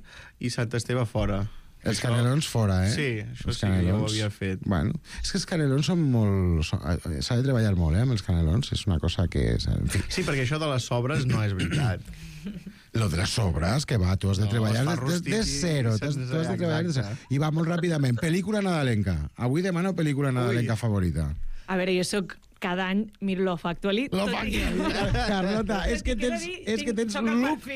i Sant Esteve fora. Els això... canelons fora, eh? Sí, això els sí canelons. que ja ho havia fet. Bueno, és que els canelons són molt... S'ha de treballar molt, eh, amb els canelons. És una cosa que... És... En fi. Sí, perquè això de les sobres no és veritat. Lo de les sobres, que va, tu has de no, treballar des de, de zero. Tu has, tu has de treballar de zero. I va molt ràpidament. Pel·lícula nadalenca. Avui demano pel·lícula nadalenca Ui. favorita. A veure, jo sóc cada any miro Love Actually. Love Actually. Carlota, és que tens... És que tens look,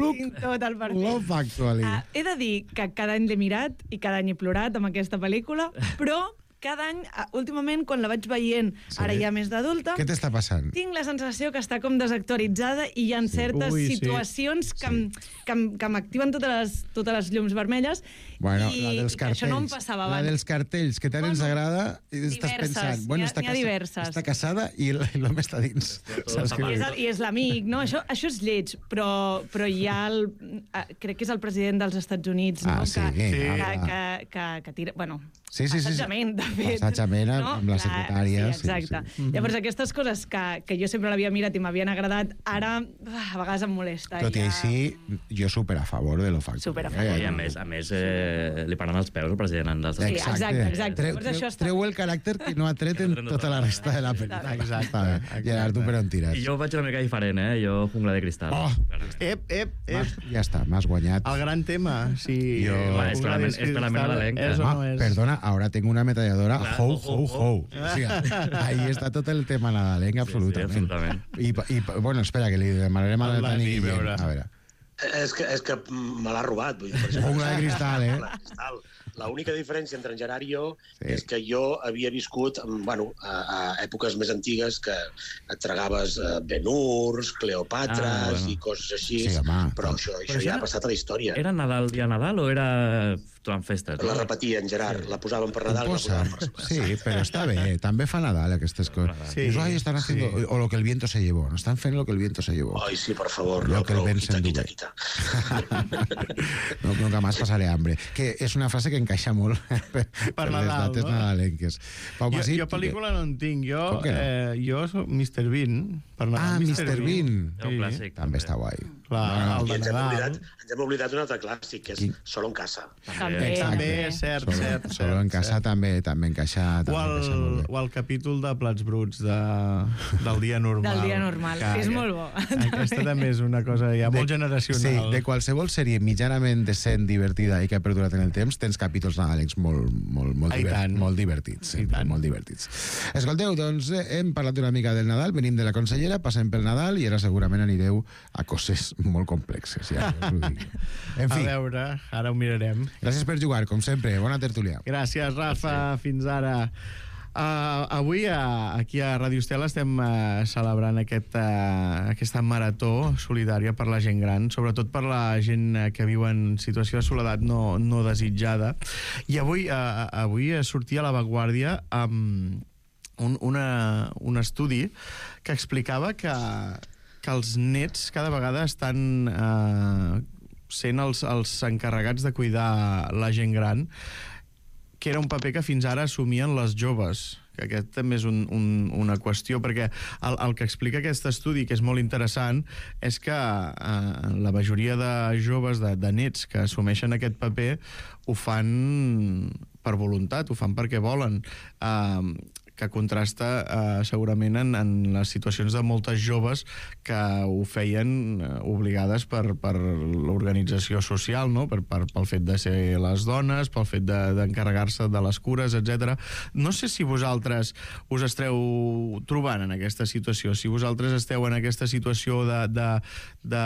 look, tot el perfil. Love Actually. Uh, he de dir que cada any l'he mirat i cada any he plorat amb aquesta pel·lícula, però cada any, últimament, quan la vaig veient, sí. ara ja més d'adulta... Què t'està passant? Tinc la sensació que està com desactualitzada i hi ha sí. certes Ui, situacions sí. que, sí. que, que m'activen totes les, totes les llums vermelles bueno, i, la dels i que això no em passava abans. La dels cartells, que tant bueno, ens agrada, i estàs pensant... Bueno, ha, està, casa, diverses. Està casada i l'home està dins. Saps I, és el, I és l'amic, no? Això, això és lleig, però, però hi ha el... Crec que és el president dels Estats Units, no? Ah, sí, que, sí, que, que, que, que tira... Bueno, sí, sí, assetjament, sí, sí. fet... Passatge no? amb la secretària. Sí, exacte. Sí, sí. Llavors, aquestes coses que, que jo sempre l'havia mirat i m'havien agradat, ara a vegades em molesta. Tot i ja... així, jo super a favor de lo factor. Super a favor. I a més, a més eh, li paran els peus al president dels Sí, exacte, exacte. Treu, treu, treu el caràcter que no ha tret en tota la resta de la pel·lícula. Exacte. Gerard, tu per on tires? I jo vaig una mica diferent, eh? Jo jungla de cristal. Oh! Ep, ep, ep. Ja està, m'has guanyat. El gran tema, si... Jo... Va, és per la, és per la meva nadalenca. És o no Ah, és? perdona, ahora tengo una ametralladora Clar, ho, ho, ho, ho. ho. O sea, ahí está tot el tema nadalenc, absolutament. Sí, sí, absolutament. I, I, bueno, espera, que li demanarem a la El Tani Dani, Guillem. veure. A veure. És que, és que me l'ha robat. Vull dir, per exemple, Jungla de cristal, eh? Jungla de cristal. L'única diferència entre en Gerard i jo Sí. sí. és que jo havia viscut bueno, a, a èpoques més antigues que et tragaves eh, Ben-Hurs, Cleopàtras Ah, bueno. i coses així, Sí, home. però això, això Però ja era- ha passat a la història. Era Nadal, dia Nadal, o era durant festes? La repetien, Gerard, la posaven per Nadal, la Posa. posaven per Sí, però està bé. També fa Nadal, aquestes coses. Sí, Dius, ai, estan haciendo... sí. O lo que el viento se llevó. No estan fent lo que el viento se llevó. Ai, sí, per favor, Lo no, que el prou, vent quita, s'endugué. quita, quita. No, nunca más pasaré hambre. Que és una frase que encaixa molt per, per les Nadal, dates no? nadalenques. Pau Jo, Masip, jo pel·lícula no en tinc. Jo, Com que no? eh, jo soc mister Bean. Per Nadal, Ah, mister Bean. És un clàssic. També està guai. Clar, el I de ens hem, Nadal. oblidat, ens hem oblidat d'un altre clàssic, que és Quin? Solo en casa. També, També, cert, Solo, cert. solo en casa també també encaixa, O també el, encaixa molt bé. o el capítol de Plats Bruts de, del dia normal. Del dia normal. És molt bo. Aquesta també és una cosa ja molt generacional. Sí, de qualsevol sèrie mitjanament decent, divertida i que ha perdurat en el temps, tens capítols nadalencs molt, molt, molt, I diver tant. molt divertits. Sí, I tant. molt divertits. Escolteu, doncs eh, hem parlat una mica del Nadal, venim de la consellera, passem pel Nadal i ara segurament anireu a coses molt complexes. Ja, us ho dic. En A fi, veure, ara ho mirarem. gràcies per jugar, com sempre. Bona tertúlia. Gràcies, Rafa. Fins ara. Uh, avui uh, aquí a Ràdio Estel estem uh, celebrant aquest, uh, aquesta marató solidària per la gent gran, sobretot per la gent uh, que viu en situació de soledat no, no desitjada. I avui, uh, avui sortia a l'avantguàrdia amb un, una, un estudi que explicava que, que els nets cada vegada estan uh, sent els, els encarregats de cuidar la gent gran, que era un paper que fins ara assumien les joves, que aquest també és un, un, una qüestió, perquè el, el que explica aquest estudi, que és molt interessant, és que eh, la majoria de joves, de, de nets que assumeixen aquest paper, ho fan per voluntat, ho fan perquè volen, eh, que contrasta eh, segurament en, en les situacions de moltes joves que ho feien eh, obligades per, per l'organització social, no? per, per, pel fet de ser les dones, pel fet d'encarregar-se de, de les cures, etcètera. No sé si vosaltres us esteu trobant en aquesta situació, si vosaltres esteu en aquesta situació de, de, de,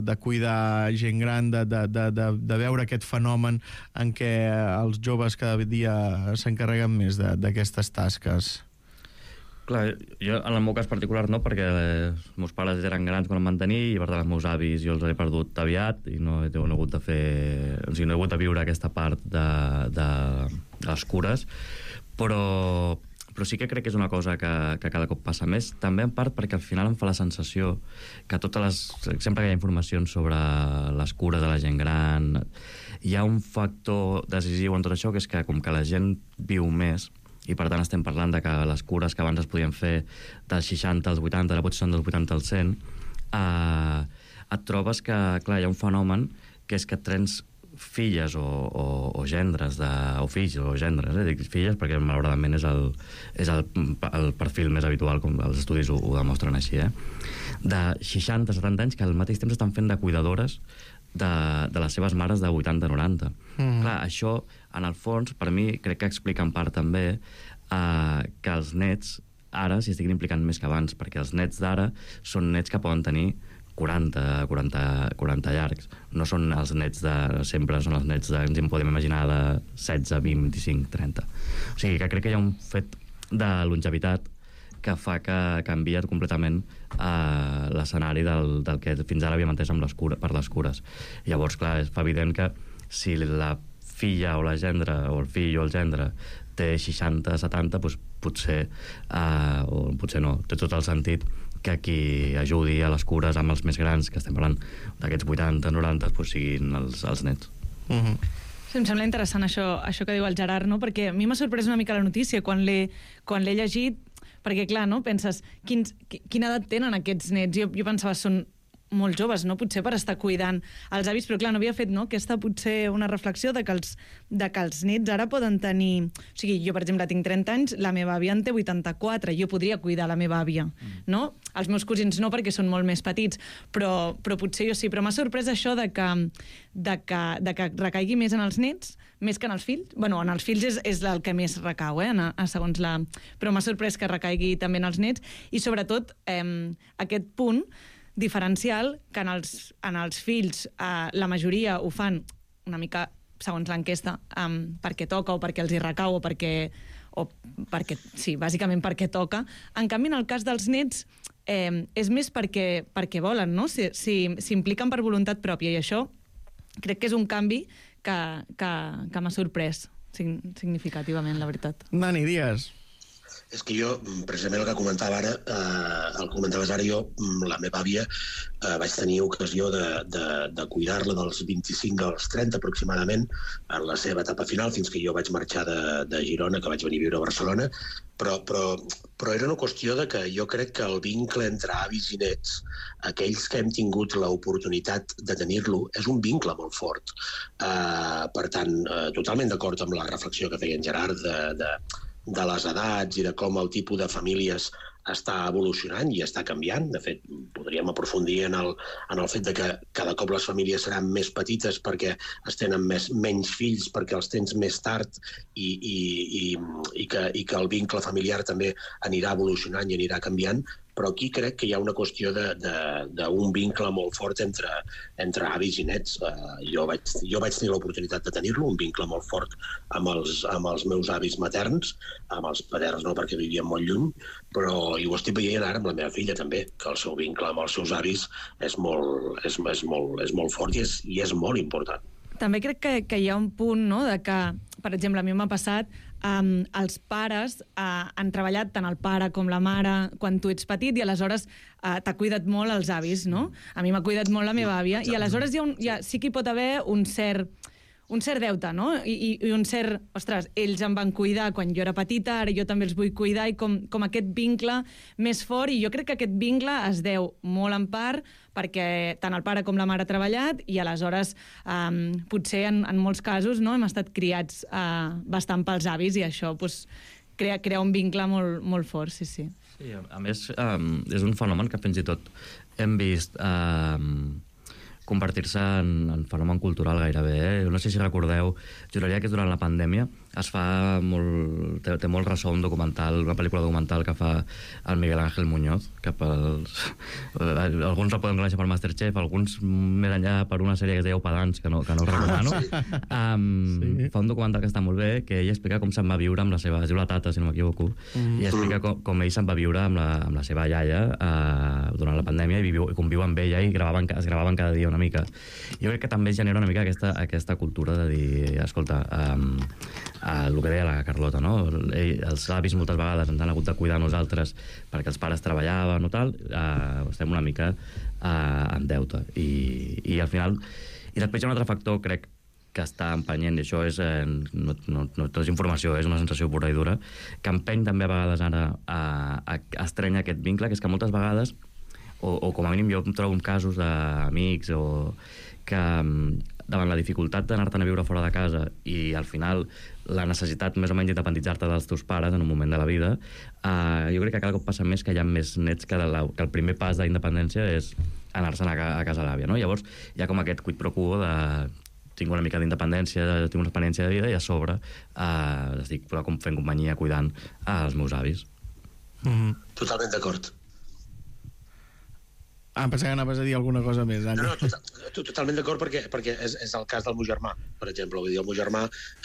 de cuidar gent gran, de, de, de, de, de veure aquest fenomen en què els joves cada dia s'encarreguen més d'aquestes tasques. Clar, jo en el meu cas particular no, perquè els meus pares eren grans quan em van tenir i per tant els meus avis jo els he perdut aviat i no he, no he hagut de fer... O sigui, no he hagut de viure aquesta part de, de, de les cures, però, però sí que crec que és una cosa que, que cada cop passa més, també en part perquè al final em fa la sensació que totes les... sempre que hi ha informacions sobre les cures de la gent gran, hi ha un factor decisiu en tot això, que és que com que la gent viu més, i per tant estem parlant de que les cures que abans es podien fer dels seixanta als vuitanta, ara potser són dels vuitanta als cent, eh, et trobes que, clar, hi ha un fenomen que és que et trens filles o, o, o gendres, de, o fills o gendres, eh? Dic filles perquè malauradament és el, és el, el perfil més habitual, com els estudis ho, ho demostren així, eh? De seixanta a setanta anys que al mateix temps estan fent de cuidadores de, de les seves mares de vuitanta a noranta. Mm. Clar, això, en el fons, per mi, crec que explica en part també eh, que els nets ara s'hi estiguin implicant més que abans, perquè els nets d'ara són nets que poden tenir quaranta, quaranta, quaranta llargs. No són els nets de sempre, són els nets de, ens en podem imaginar, de setze, vint, vint-i-cinc, trenta. O sigui, que crec que hi ha un fet de longevitat que fa que canvia completament eh, l'escenari del, del que fins ara havíem entès amb les cures, per les cures. Llavors, clar, és evident que si la filla o la gendra, o el fill o el gendre, té seixanta, setanta, doncs potser, eh, o potser no, té tot el sentit que qui ajudi a les cures amb els més grans, que estem parlant d'aquests vuitanta, noranta, doncs siguin els, els nets. Mm-hmm. Em sembla interessant això, això que diu el Gerard, no? Perquè a mi m'ha sorprès una mica la notícia quan l'he quan l'he llegit, perquè, clar, no? Penses, quins, quina edat tenen aquests nets? Jo, jo pensava, són molt joves, no? Potser per estar cuidant els avis, però clar, no havia fet, no? Aquesta potser una reflexió de que els, de que els nets ara poden tenir... O sigui, jo, per exemple, tinc trenta anys, la meva àvia en té vuitanta-quatre, jo podria cuidar la meva àvia, no? Els meus cosins no, perquè són molt més petits, però, però potser jo sí. Però m'ha sorprès això de que, de, que, de que recaigui més en els nets, més que en els fills. Bueno, en els fills és, és el que més recau, eh? En, a, segons la... Però m'ha sorprès que recaigui també en els nets, i sobretot eh, aquest punt diferencial que en els, en els fills eh, la majoria ho fan una mica, segons l'enquesta, um, perquè toca o perquè els hi recau o perquè, o perquè, sí, bàsicament perquè toca. En canvi, en el cas dels nets, eh, és més perquè, perquè volen, no? Si, si, s'impliquen per voluntat pròpia, i això crec que és un canvi que, que, que m'ha sorprès significativament, la veritat. Dani, digues. És que jo, precisament el que comentava ara, eh, el comentaves ara, jo, la meva àvia, eh, vaig tenir ocasió de, de, de cuidar-la dels vint-i-cinc als trenta aproximadament, en la seva etapa final, fins que jo vaig marxar de, de Girona, que vaig venir a viure a Barcelona, però, però, però era una qüestió de que jo crec que el vincle entre avis i nets, aquells que hem tingut l'oportunitat de tenir-lo, és un vincle molt fort. Eh, per tant, eh, totalment d'acord amb la reflexió que feia en Gerard de, de de les edats i de com el tipus de famílies està evolucionant i està canviant. De fet, podríem aprofundir en el, en el fet de que cada cop les famílies seran més petites perquè es tenen més, menys fills, perquè els tens més tard i, i, i, i, que, i que el vincle familiar també anirà evolucionant i anirà canviant, però aquí crec que hi ha una qüestió d'un vincle molt fort entre, entre avis i nets. Uh, jo, vaig, jo vaig tenir l'oportunitat de tenir-lo, un vincle molt fort amb els, amb els meus avis materns, amb els paterns no, perquè vivien molt lluny, però i ho estic veient ara amb la meva filla també, que el seu vincle amb els seus avis és molt, és, és molt, és molt fort i és, i és molt important. També crec que, que hi ha un punt, no?, de que, per exemple, a mi m'ha passat, um, els pares uh, han treballat tant el pare com la mare quan tu ets petit i aleshores uh, t'ha cuidat molt els avis, no? A mi m'ha cuidat molt la meva àvia i aleshores hi ha un, hi ha, sí que hi pot haver un cert... un cert deute, no? I, i un cert... Ostres, ells em van cuidar quan jo era petita, ara jo també els vull cuidar, i com, com aquest vincle més fort, i jo crec que aquest vincle es deu molt en part perquè tant el pare com la mare ha treballat i aleshores um, potser en, en molts casos no, hem estat criats uh, bastant pels avis i això pues, crea, crea un vincle molt, molt fort, sí, sí. Sí, a, a més, um, és un fenomen que fins i tot hem vist... Um, convertir-se en, en fenomen cultural gairebé. Eh? No sé si recordeu, juraria que durant la pandèmia es fa molt... Té, té molt ressò un documental, una pel·lícula documental que fa el Miguel Ángel Muñoz, que pels... alguns el poden conèixer per Masterchef, alguns més enllà per una sèrie que es deia Opadans, que no, que no recomano. Sí. Um, sí. Fa un documental que està molt bé, que ell explica com se'n va viure amb la seva... Es diu La Tata, si no m'equivoco, mm. i explica com, com ell se'n va viure amb la, amb la seva iaia uh, durant la pandèmia i, viu, i conviu amb ella i gravaven, es gravaven cada dia una mica. Jo crec que també genera una mica aquesta, aquesta cultura de dir, escolta, um, uh, el que deia la Carlota, no? Ell, els avis moltes vegades ens han hagut de cuidar nosaltres perquè els pares treballaven o tal, uh, estem una mica uh, en deute. I, i al final... I després hi ha un altre factor, crec, que està empenyent, i això és, eh, no, no, no és informació, és una sensació pura i dura, que empeny també a vegades ara a, a, a estrènyer aquest vincle, que és que moltes vegades O, o com a mínim jo em trobo en casos d'amics o que davant la dificultat d'anar-te'n a viure fora de casa i al final la necessitat més o menys d'independitzar-te dels teus pares en un moment de la vida, eh, jo crec que cada cop passa més que hi ha més nets que, la, que el primer pas d'independència és anar-se'n a, a casa l'àvia, no? Llavors hi ha com aquest quid pro quo de tinc una mica d'independència, tinc una experiència de vida i a sobre eh, estic fent companyia cuidant als meus avis. Mm-hmm. Totalment d'acord. Ah, em pensava que anaves a dir alguna cosa més, Dani. No, no, total, totalment d'acord perquè, perquè és, és el cas del meu germà, per exemple. Vull dir, el meu germà,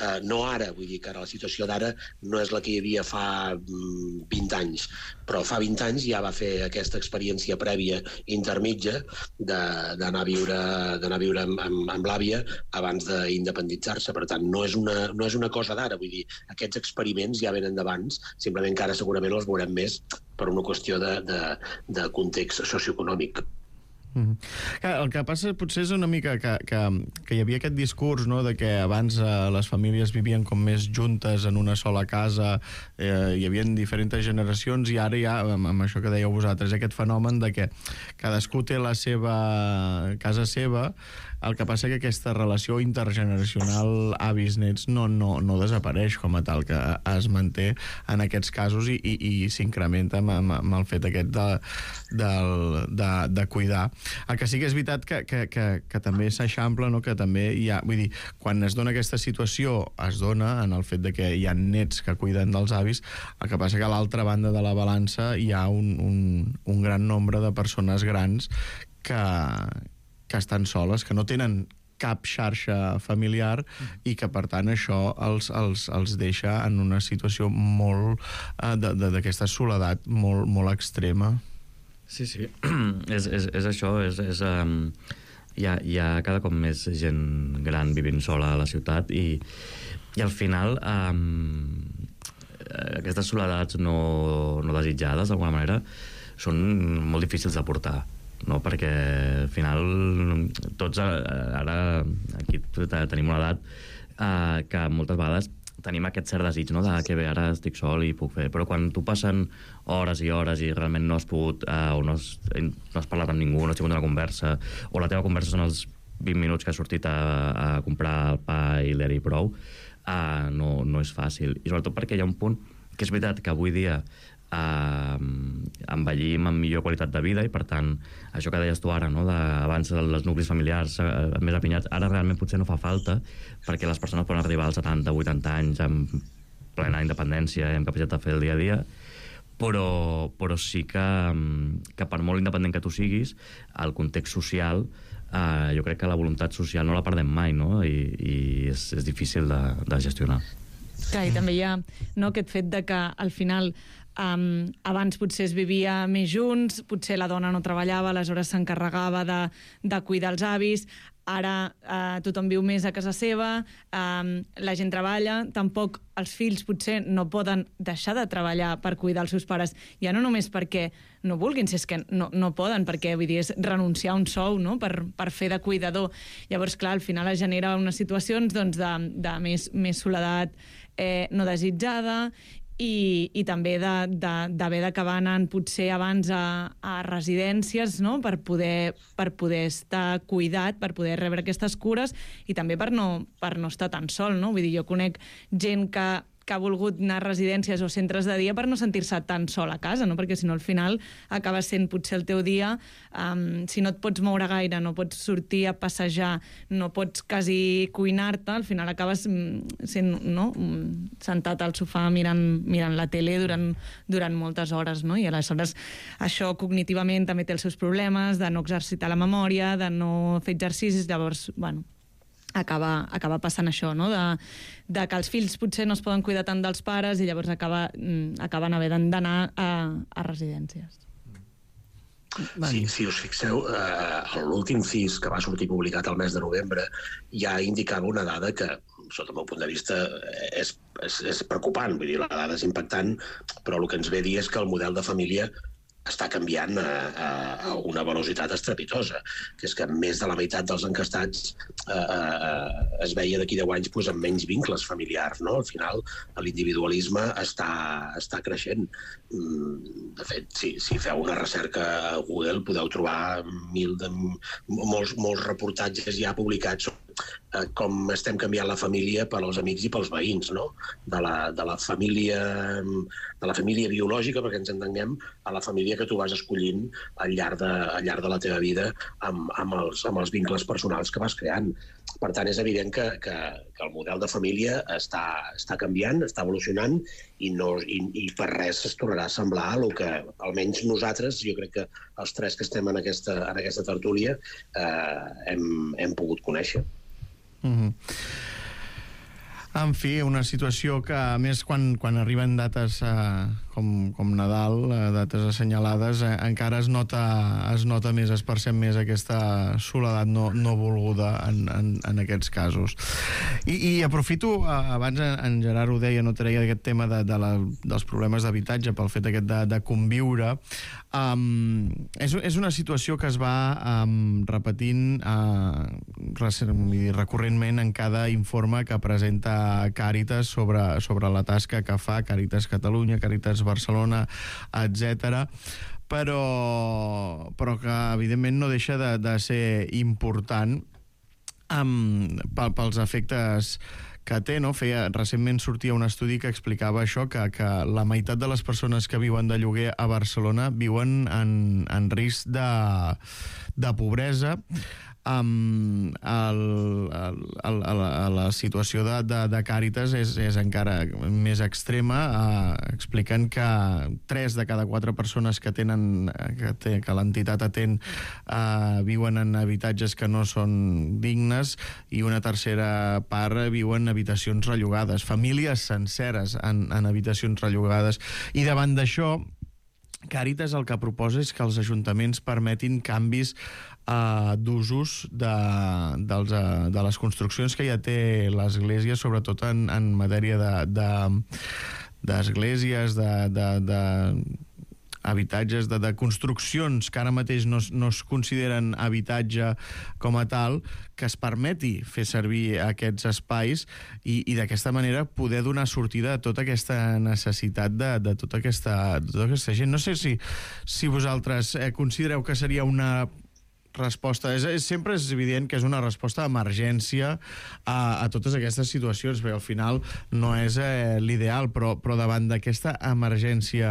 eh, no ara, vull dir que ara la situació d'ara no és la que hi havia fa mm, vint anys, però fa vint anys ja va fer aquesta experiència prèvia intermitja d'anar a viure, d'anar a viure amb, amb, amb l'àvia abans d'independitzar-se. Per tant, no és una, no és una cosa d'ara, vull dir, aquests experiments ja venen d'abans, simplement que ara segurament els veurem més per una qüestió de, de, de context socioeconòmic. Mm-hmm. El que passa potser és una mica que, que, que hi havia aquest discurs, no?, de que abans eh, les famílies vivien com més juntes en una sola casa, eh, hi havia diferents generacions, i ara hi ha, amb, amb això que dèieu vosaltres, aquest fenomen de que cadascú té la seva casa seva. El que passa que aquesta relació intergeneracional avis-nets no, no, no desapareix com a tal, que es manté en aquests casos i, i, i s'incrementa amb, amb, amb el fet aquest de, de, de, de cuidar. El que sí que és veritat que, que, que, que també s'eixampla, no?, que també hi ha... Vull dir, quan es dona aquesta situació, es dona en el fet de que hi ha nets que cuiden dels avis, el que passa que a l'altra banda de la balança hi ha un, un, un gran nombre de persones grans que... que estan soles, que no tenen cap xarxa familiar i que, per tant, això els, els, els deixa en una situació molt eh, d'aquesta soledat molt, molt extrema. Sí, sí, és, és, és això, és, és, um, hi, ha, hi ha cada cop més gent gran vivint sola a la ciutat i, i al final um, aquestes soledats no, no desitjades, d'alguna manera, són molt difícils de portar. No, perquè al final tots ara aquí tenim una edat eh, que moltes vegades tenim aquest cert desig, no?, de que bé, ara estic sol i puc fer, però quan tu passen hores i hores i realment no has pogut eh, o no has, no has parlat amb ningú, no has tingut una conversa, o la teva conversa són els vint minuts que has sortit a, a comprar el pa i l'era i prou, eh, no, no és fàcil, i sobretot perquè hi ha un punt que és veritat que avui dia Uh, envellim amb millor qualitat de vida i, per tant, això que deies tu ara, no?, de, abans els nuclis familiars uh, més apinyats, ara realment potser no fa falta perquè les persones poden arribar als setanta o vuitanta anys amb plena independència i amb capacitat de fer el dia a dia, però, però sí que, que per molt independent que tu siguis, el context social, uh, jo crec que la voluntat social no la perdem mai, no?, i, i és, és difícil de, de gestionar. Clar, i també hi ha, no, aquest fet de que al final Um, abans potser es vivia més junts, potser la dona no treballava, aleshores s'encarregava de, de cuidar els avis, ara uh, tothom viu més a casa seva, um, la gent treballa, tampoc els fills potser no poden deixar de treballar per cuidar els seus pares, ja no només perquè no vulguin, si és que no, no poden, perquè vull dir, és renunciar a un sou, no?, per, per fer de cuidador. Llavors, clar, al final es genera unes situacions doncs, de, de més, més soledat eh, no desitjada, i, i també d'haver d'acabar anant potser abans a, a residències, no?, per poder, per poder estar cuidat, per poder rebre aquestes cures i també per no, per no estar tan sol, no? Vull dir, jo conec gent que que ha volgut anar a residències o centres de dia per no sentir-se tan sol a casa, no? Perquè si no al final acaba sent potser el teu dia, um, si no et pots moure gaire, no pots sortir a passejar, no pots quasi cuinar-te, al final acabes sent, no?, sentat al sofà mirant, mirant la tele durant, durant moltes hores, no? I aleshores això cognitivament també té els seus problemes, de no exercitar la memòria, de no fer exercicis, llavors, bueno, acaba, acaba passant això, no?, de, de que els fills potser no es poden cuidar tant dels pares i llavors acaba, acaben havent d'anar a, a residències. Sí, si us fixeu, eh, l'últim C I S que va sortir publicat el mes de novembre ja indicava una dada que, sota el meu punt de vista, és, és, és preocupant. Vull dir, la dada és impactant, però el que ens ve a dir és que el model de família està canviant a, a, a una velocitat estrepitosa, que és que més de la meitat dels encastats eh, eh, es veia d'aquí deu anys pues, amb menys vincles familiars, no? Al final, l'individualisme està, està creixent. De fet, si, si feu una recerca a Google podeu trobar mil de, molts, molts reportatges ja publicats eh, com estem canviant la família per als amics i pels veïns, no? De la, de la família de la família biològica, perquè ens entenguem, a la família que tu vas escollint al llarg de, al llarg de la teva vida amb, amb, els, amb els vincles personals que vas creant. Per tant, és evident que, que, que el model de família està, està canviant, està evolucionant i, no, i, i per res es tornarà a semblar a el que almenys nosaltres, jo crec que els tres que estem en aquesta, en aquesta tertúlia, eh, hem, hem pogut conèixer. Mm-hmm. En fi, una situació que, a més, quan, quan arriben dates eh, com com, com Nadal, dates assenyalades, eh, encara es nota, es nota més, es percep més aquesta soledat no, no volguda en, en, en aquests casos. I, i aprofito, abans en Gerard ho deia, no treia aquest tema de, de la, dels problemes d'habitatge pel fet aquest de, de conviure. Um, és, és una situació que es va um, repetint uh, recurrentment en cada informe que presenta Càritas sobre, sobre la tasca que fa Càritas Catalunya, Càritas Barcelona, etcètera, però, però que evidentment no deixa de, de ser important um, pels efectes que té, no? Feia, recentment sortia un estudi que explicava això, que, que la meitat de les persones que viuen de lloguer a Barcelona viuen en, en risc de, de pobresa. Um, el, el, el, el, la situació de, de, de Càritas és, és encara més extrema, uh, explicant que tres de cada quatre persones que tenen que, té, que l'entitat atén uh, viuen en habitatges que no són dignes i una tercera part viuen en habitacions rellogades, famílies senceres en, en habitacions rellogades. I davant d'això, Càritas el que proposa és que els ajuntaments permetin canvis uh, d'usos de, dels, uh, de les construccions que ja té l'Església, sobretot en, en matèria d'esglésies, de, de, de, de habitatges, de, de construccions que ara mateix no, no es consideren habitatge com a tal, que es permeti fer servir aquests espais i, i d'aquesta manera poder donar sortida a tota aquesta necessitat de, de, tota, aquesta, de tota aquesta gent. No sé si, si vosaltres eh, considereu que seria una resposta, és, és, sempre és evident que és una resposta d'emergència a, a totes aquestes situacions, perquè al final no és eh, l'ideal, però, però davant d'aquesta emergència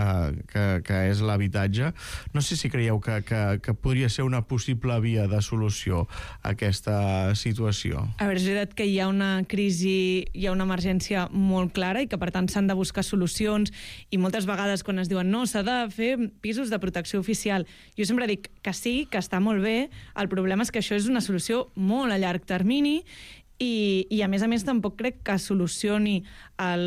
que, que és l'habitatge, no sé si creieu que, que, que podria ser una possible via de solució a aquesta situació. A veure, és veritat que hi ha una crisi, hi ha una emergència molt clara i que per tant s'han de buscar solucions, i moltes vegades quan es diuen no, s'ha de fer pisos de protecció oficial, jo sempre dic que sí, que està molt bé. El problema és que això és una solució molt a llarg termini i, i a més a més tampoc crec que solucioni el...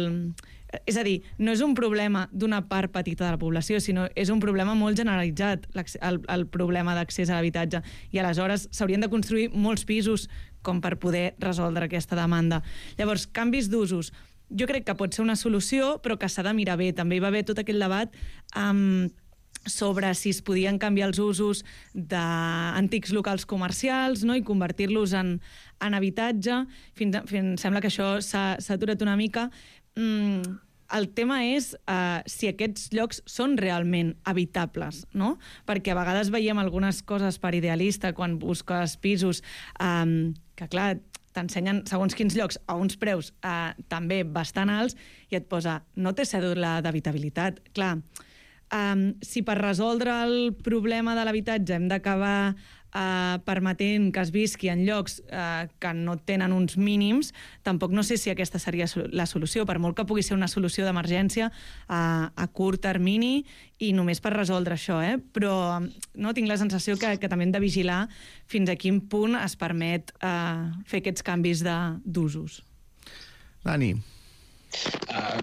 És a dir, no és un problema d'una part petita de la població, sinó és un problema molt generalitzat, el, el problema d'accés a l'habitatge. I aleshores s'haurien de construir molts pisos com per poder resoldre aquesta demanda. Llavors, canvis d'usos. Jo crec que pot ser una solució, però que s'ha de mirar bé. També hi va haver tot aquell debat amb... sobre si es podien canviar els usos d'antics locals comercials, no? I convertir-los en, en habitatge. Fins, fins, sembla que això s'ha aturat una mica. Mm, el tema és uh, si aquests llocs són realment habitables, no? Perquè a vegades veiem algunes coses per idealista quan busques pisos um, que, clar, t'ensenyen segons quins llocs a uns preus uh, també bastant alts i et posa no té cèdula d'habitabilitat. Clar, Um, si per resoldre el problema de l'habitatge hem d'acabar uh, permetent que es visqui en llocs uh, que no tenen uns mínims, tampoc no sé si aquesta seria la solució, per molt que pugui ser una solució d'emergència uh, a curt termini i només per resoldre això, eh? Però no, tinc la sensació que, que també hem de vigilar fins a quin punt es permet uh, fer aquests canvis d'usos. Dani. Uh,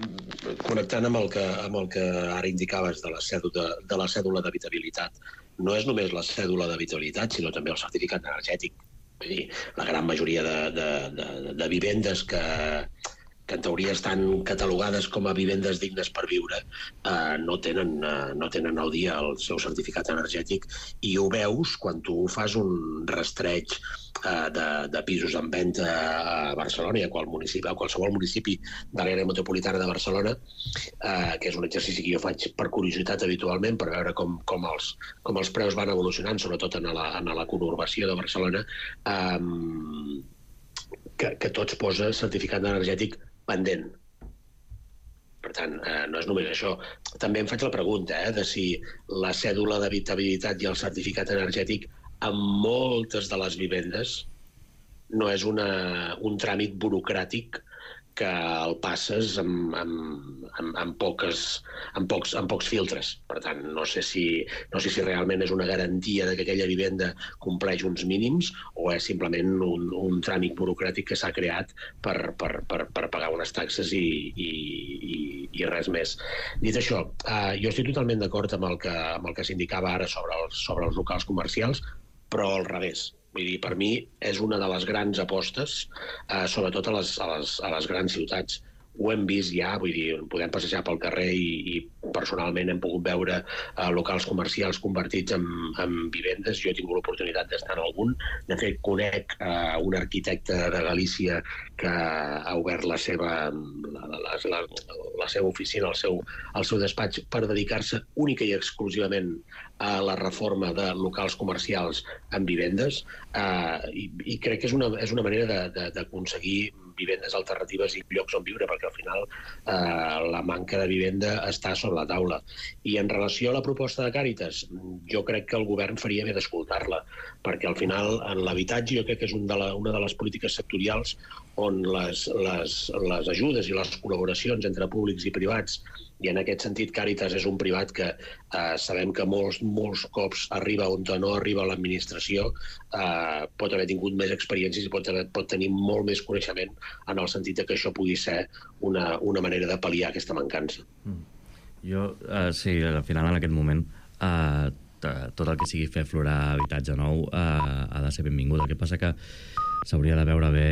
connectant amb el, que, amb el que ara indicaves de la cèdula, de la cèdula d'habitabilitat, no és només la cèdula d'habitabilitat, sinó també el certificat energètic. Vull dir, la gran majoria de, de, de, de vivendes que, que en teoria estan catalogades com a vivendes dignes per viure, eh, no, tenen, eh, no tenen al dia el seu certificat energètic, i ho veus quan tu fas un rastreig eh, de, de pisos en venda a Barcelona i a, qual municipi, a qualsevol municipi de l'àrea metropolitana de Barcelona, eh, que és un exercici que jo faig per curiositat habitualment, per veure com, com, els, com els preus van evolucionant, sobretot en la, en la conurbació de Barcelona, eh, que, que tots posa certificat energètic pendent. Per tant, eh, no és només això. També em faig la pregunta eh, de si la cèdula d'habitabilitat i el certificat energètic en moltes de les vivendes no és una, un tràmit burocràtic que el passes amb, amb, amb, amb, poques, amb, pocs, amb pocs filtres. Per tant, no sé, si, no sé si realment és una garantia de que aquella vivenda compleix uns mínims o és simplement un, un tràmit burocràtic que s'ha creat per, per, per, per pagar unes taxes i, i, i, i res més. Dit això, eh, jo estic totalment d'acord amb el que, amb el que s'indicava ara sobre els, sobre els locals comercials, però al revés. Vull dir, per mi és una de les grans apostes, eh, sobretot a les, a, les, a les grans ciutats. Ho hem vist ja, vull dir, podem passejar pel carrer i, i personalment hem pogut veure eh, locals comercials convertits en, en vivendes. Jo he tingut l'oportunitat d'estar en algun. De fet, conec eh, un arquitecte de Galícia que ha obert la seva, la, la, la, la seva oficina, el seu, el seu despatx, per dedicar-se única i exclusivament a la reforma de locals comercials en vivendes, eh, i, i crec que és una, és una manera d'aconseguir vivendes alternatives i llocs on viure, perquè al final eh, la manca de vivenda està sobre la taula. I en relació a la proposta de Càritas, jo crec que el govern faria bé d'escoltar-la, perquè al final en l'habitatge jo crec que és un de la, una de les polítiques sectorials on les, les, les ajudes i les col·laboracions entre públics i privats, i en aquest sentit Càritas és un privat que eh, sabem que molts, molts cops arriba on no arriba l'administració, eh, pot haver tingut més experiències i pot, haver, pot tenir molt més coneixement en el sentit que això pugui ser una, una manera de pal·liar aquesta mancança. Mm. Jo, eh, sí, al final en aquest moment eh, tot el que sigui fer aflorar habitatge nou eh, ha de ser benvingut. El que passa que s'hauria de veure bé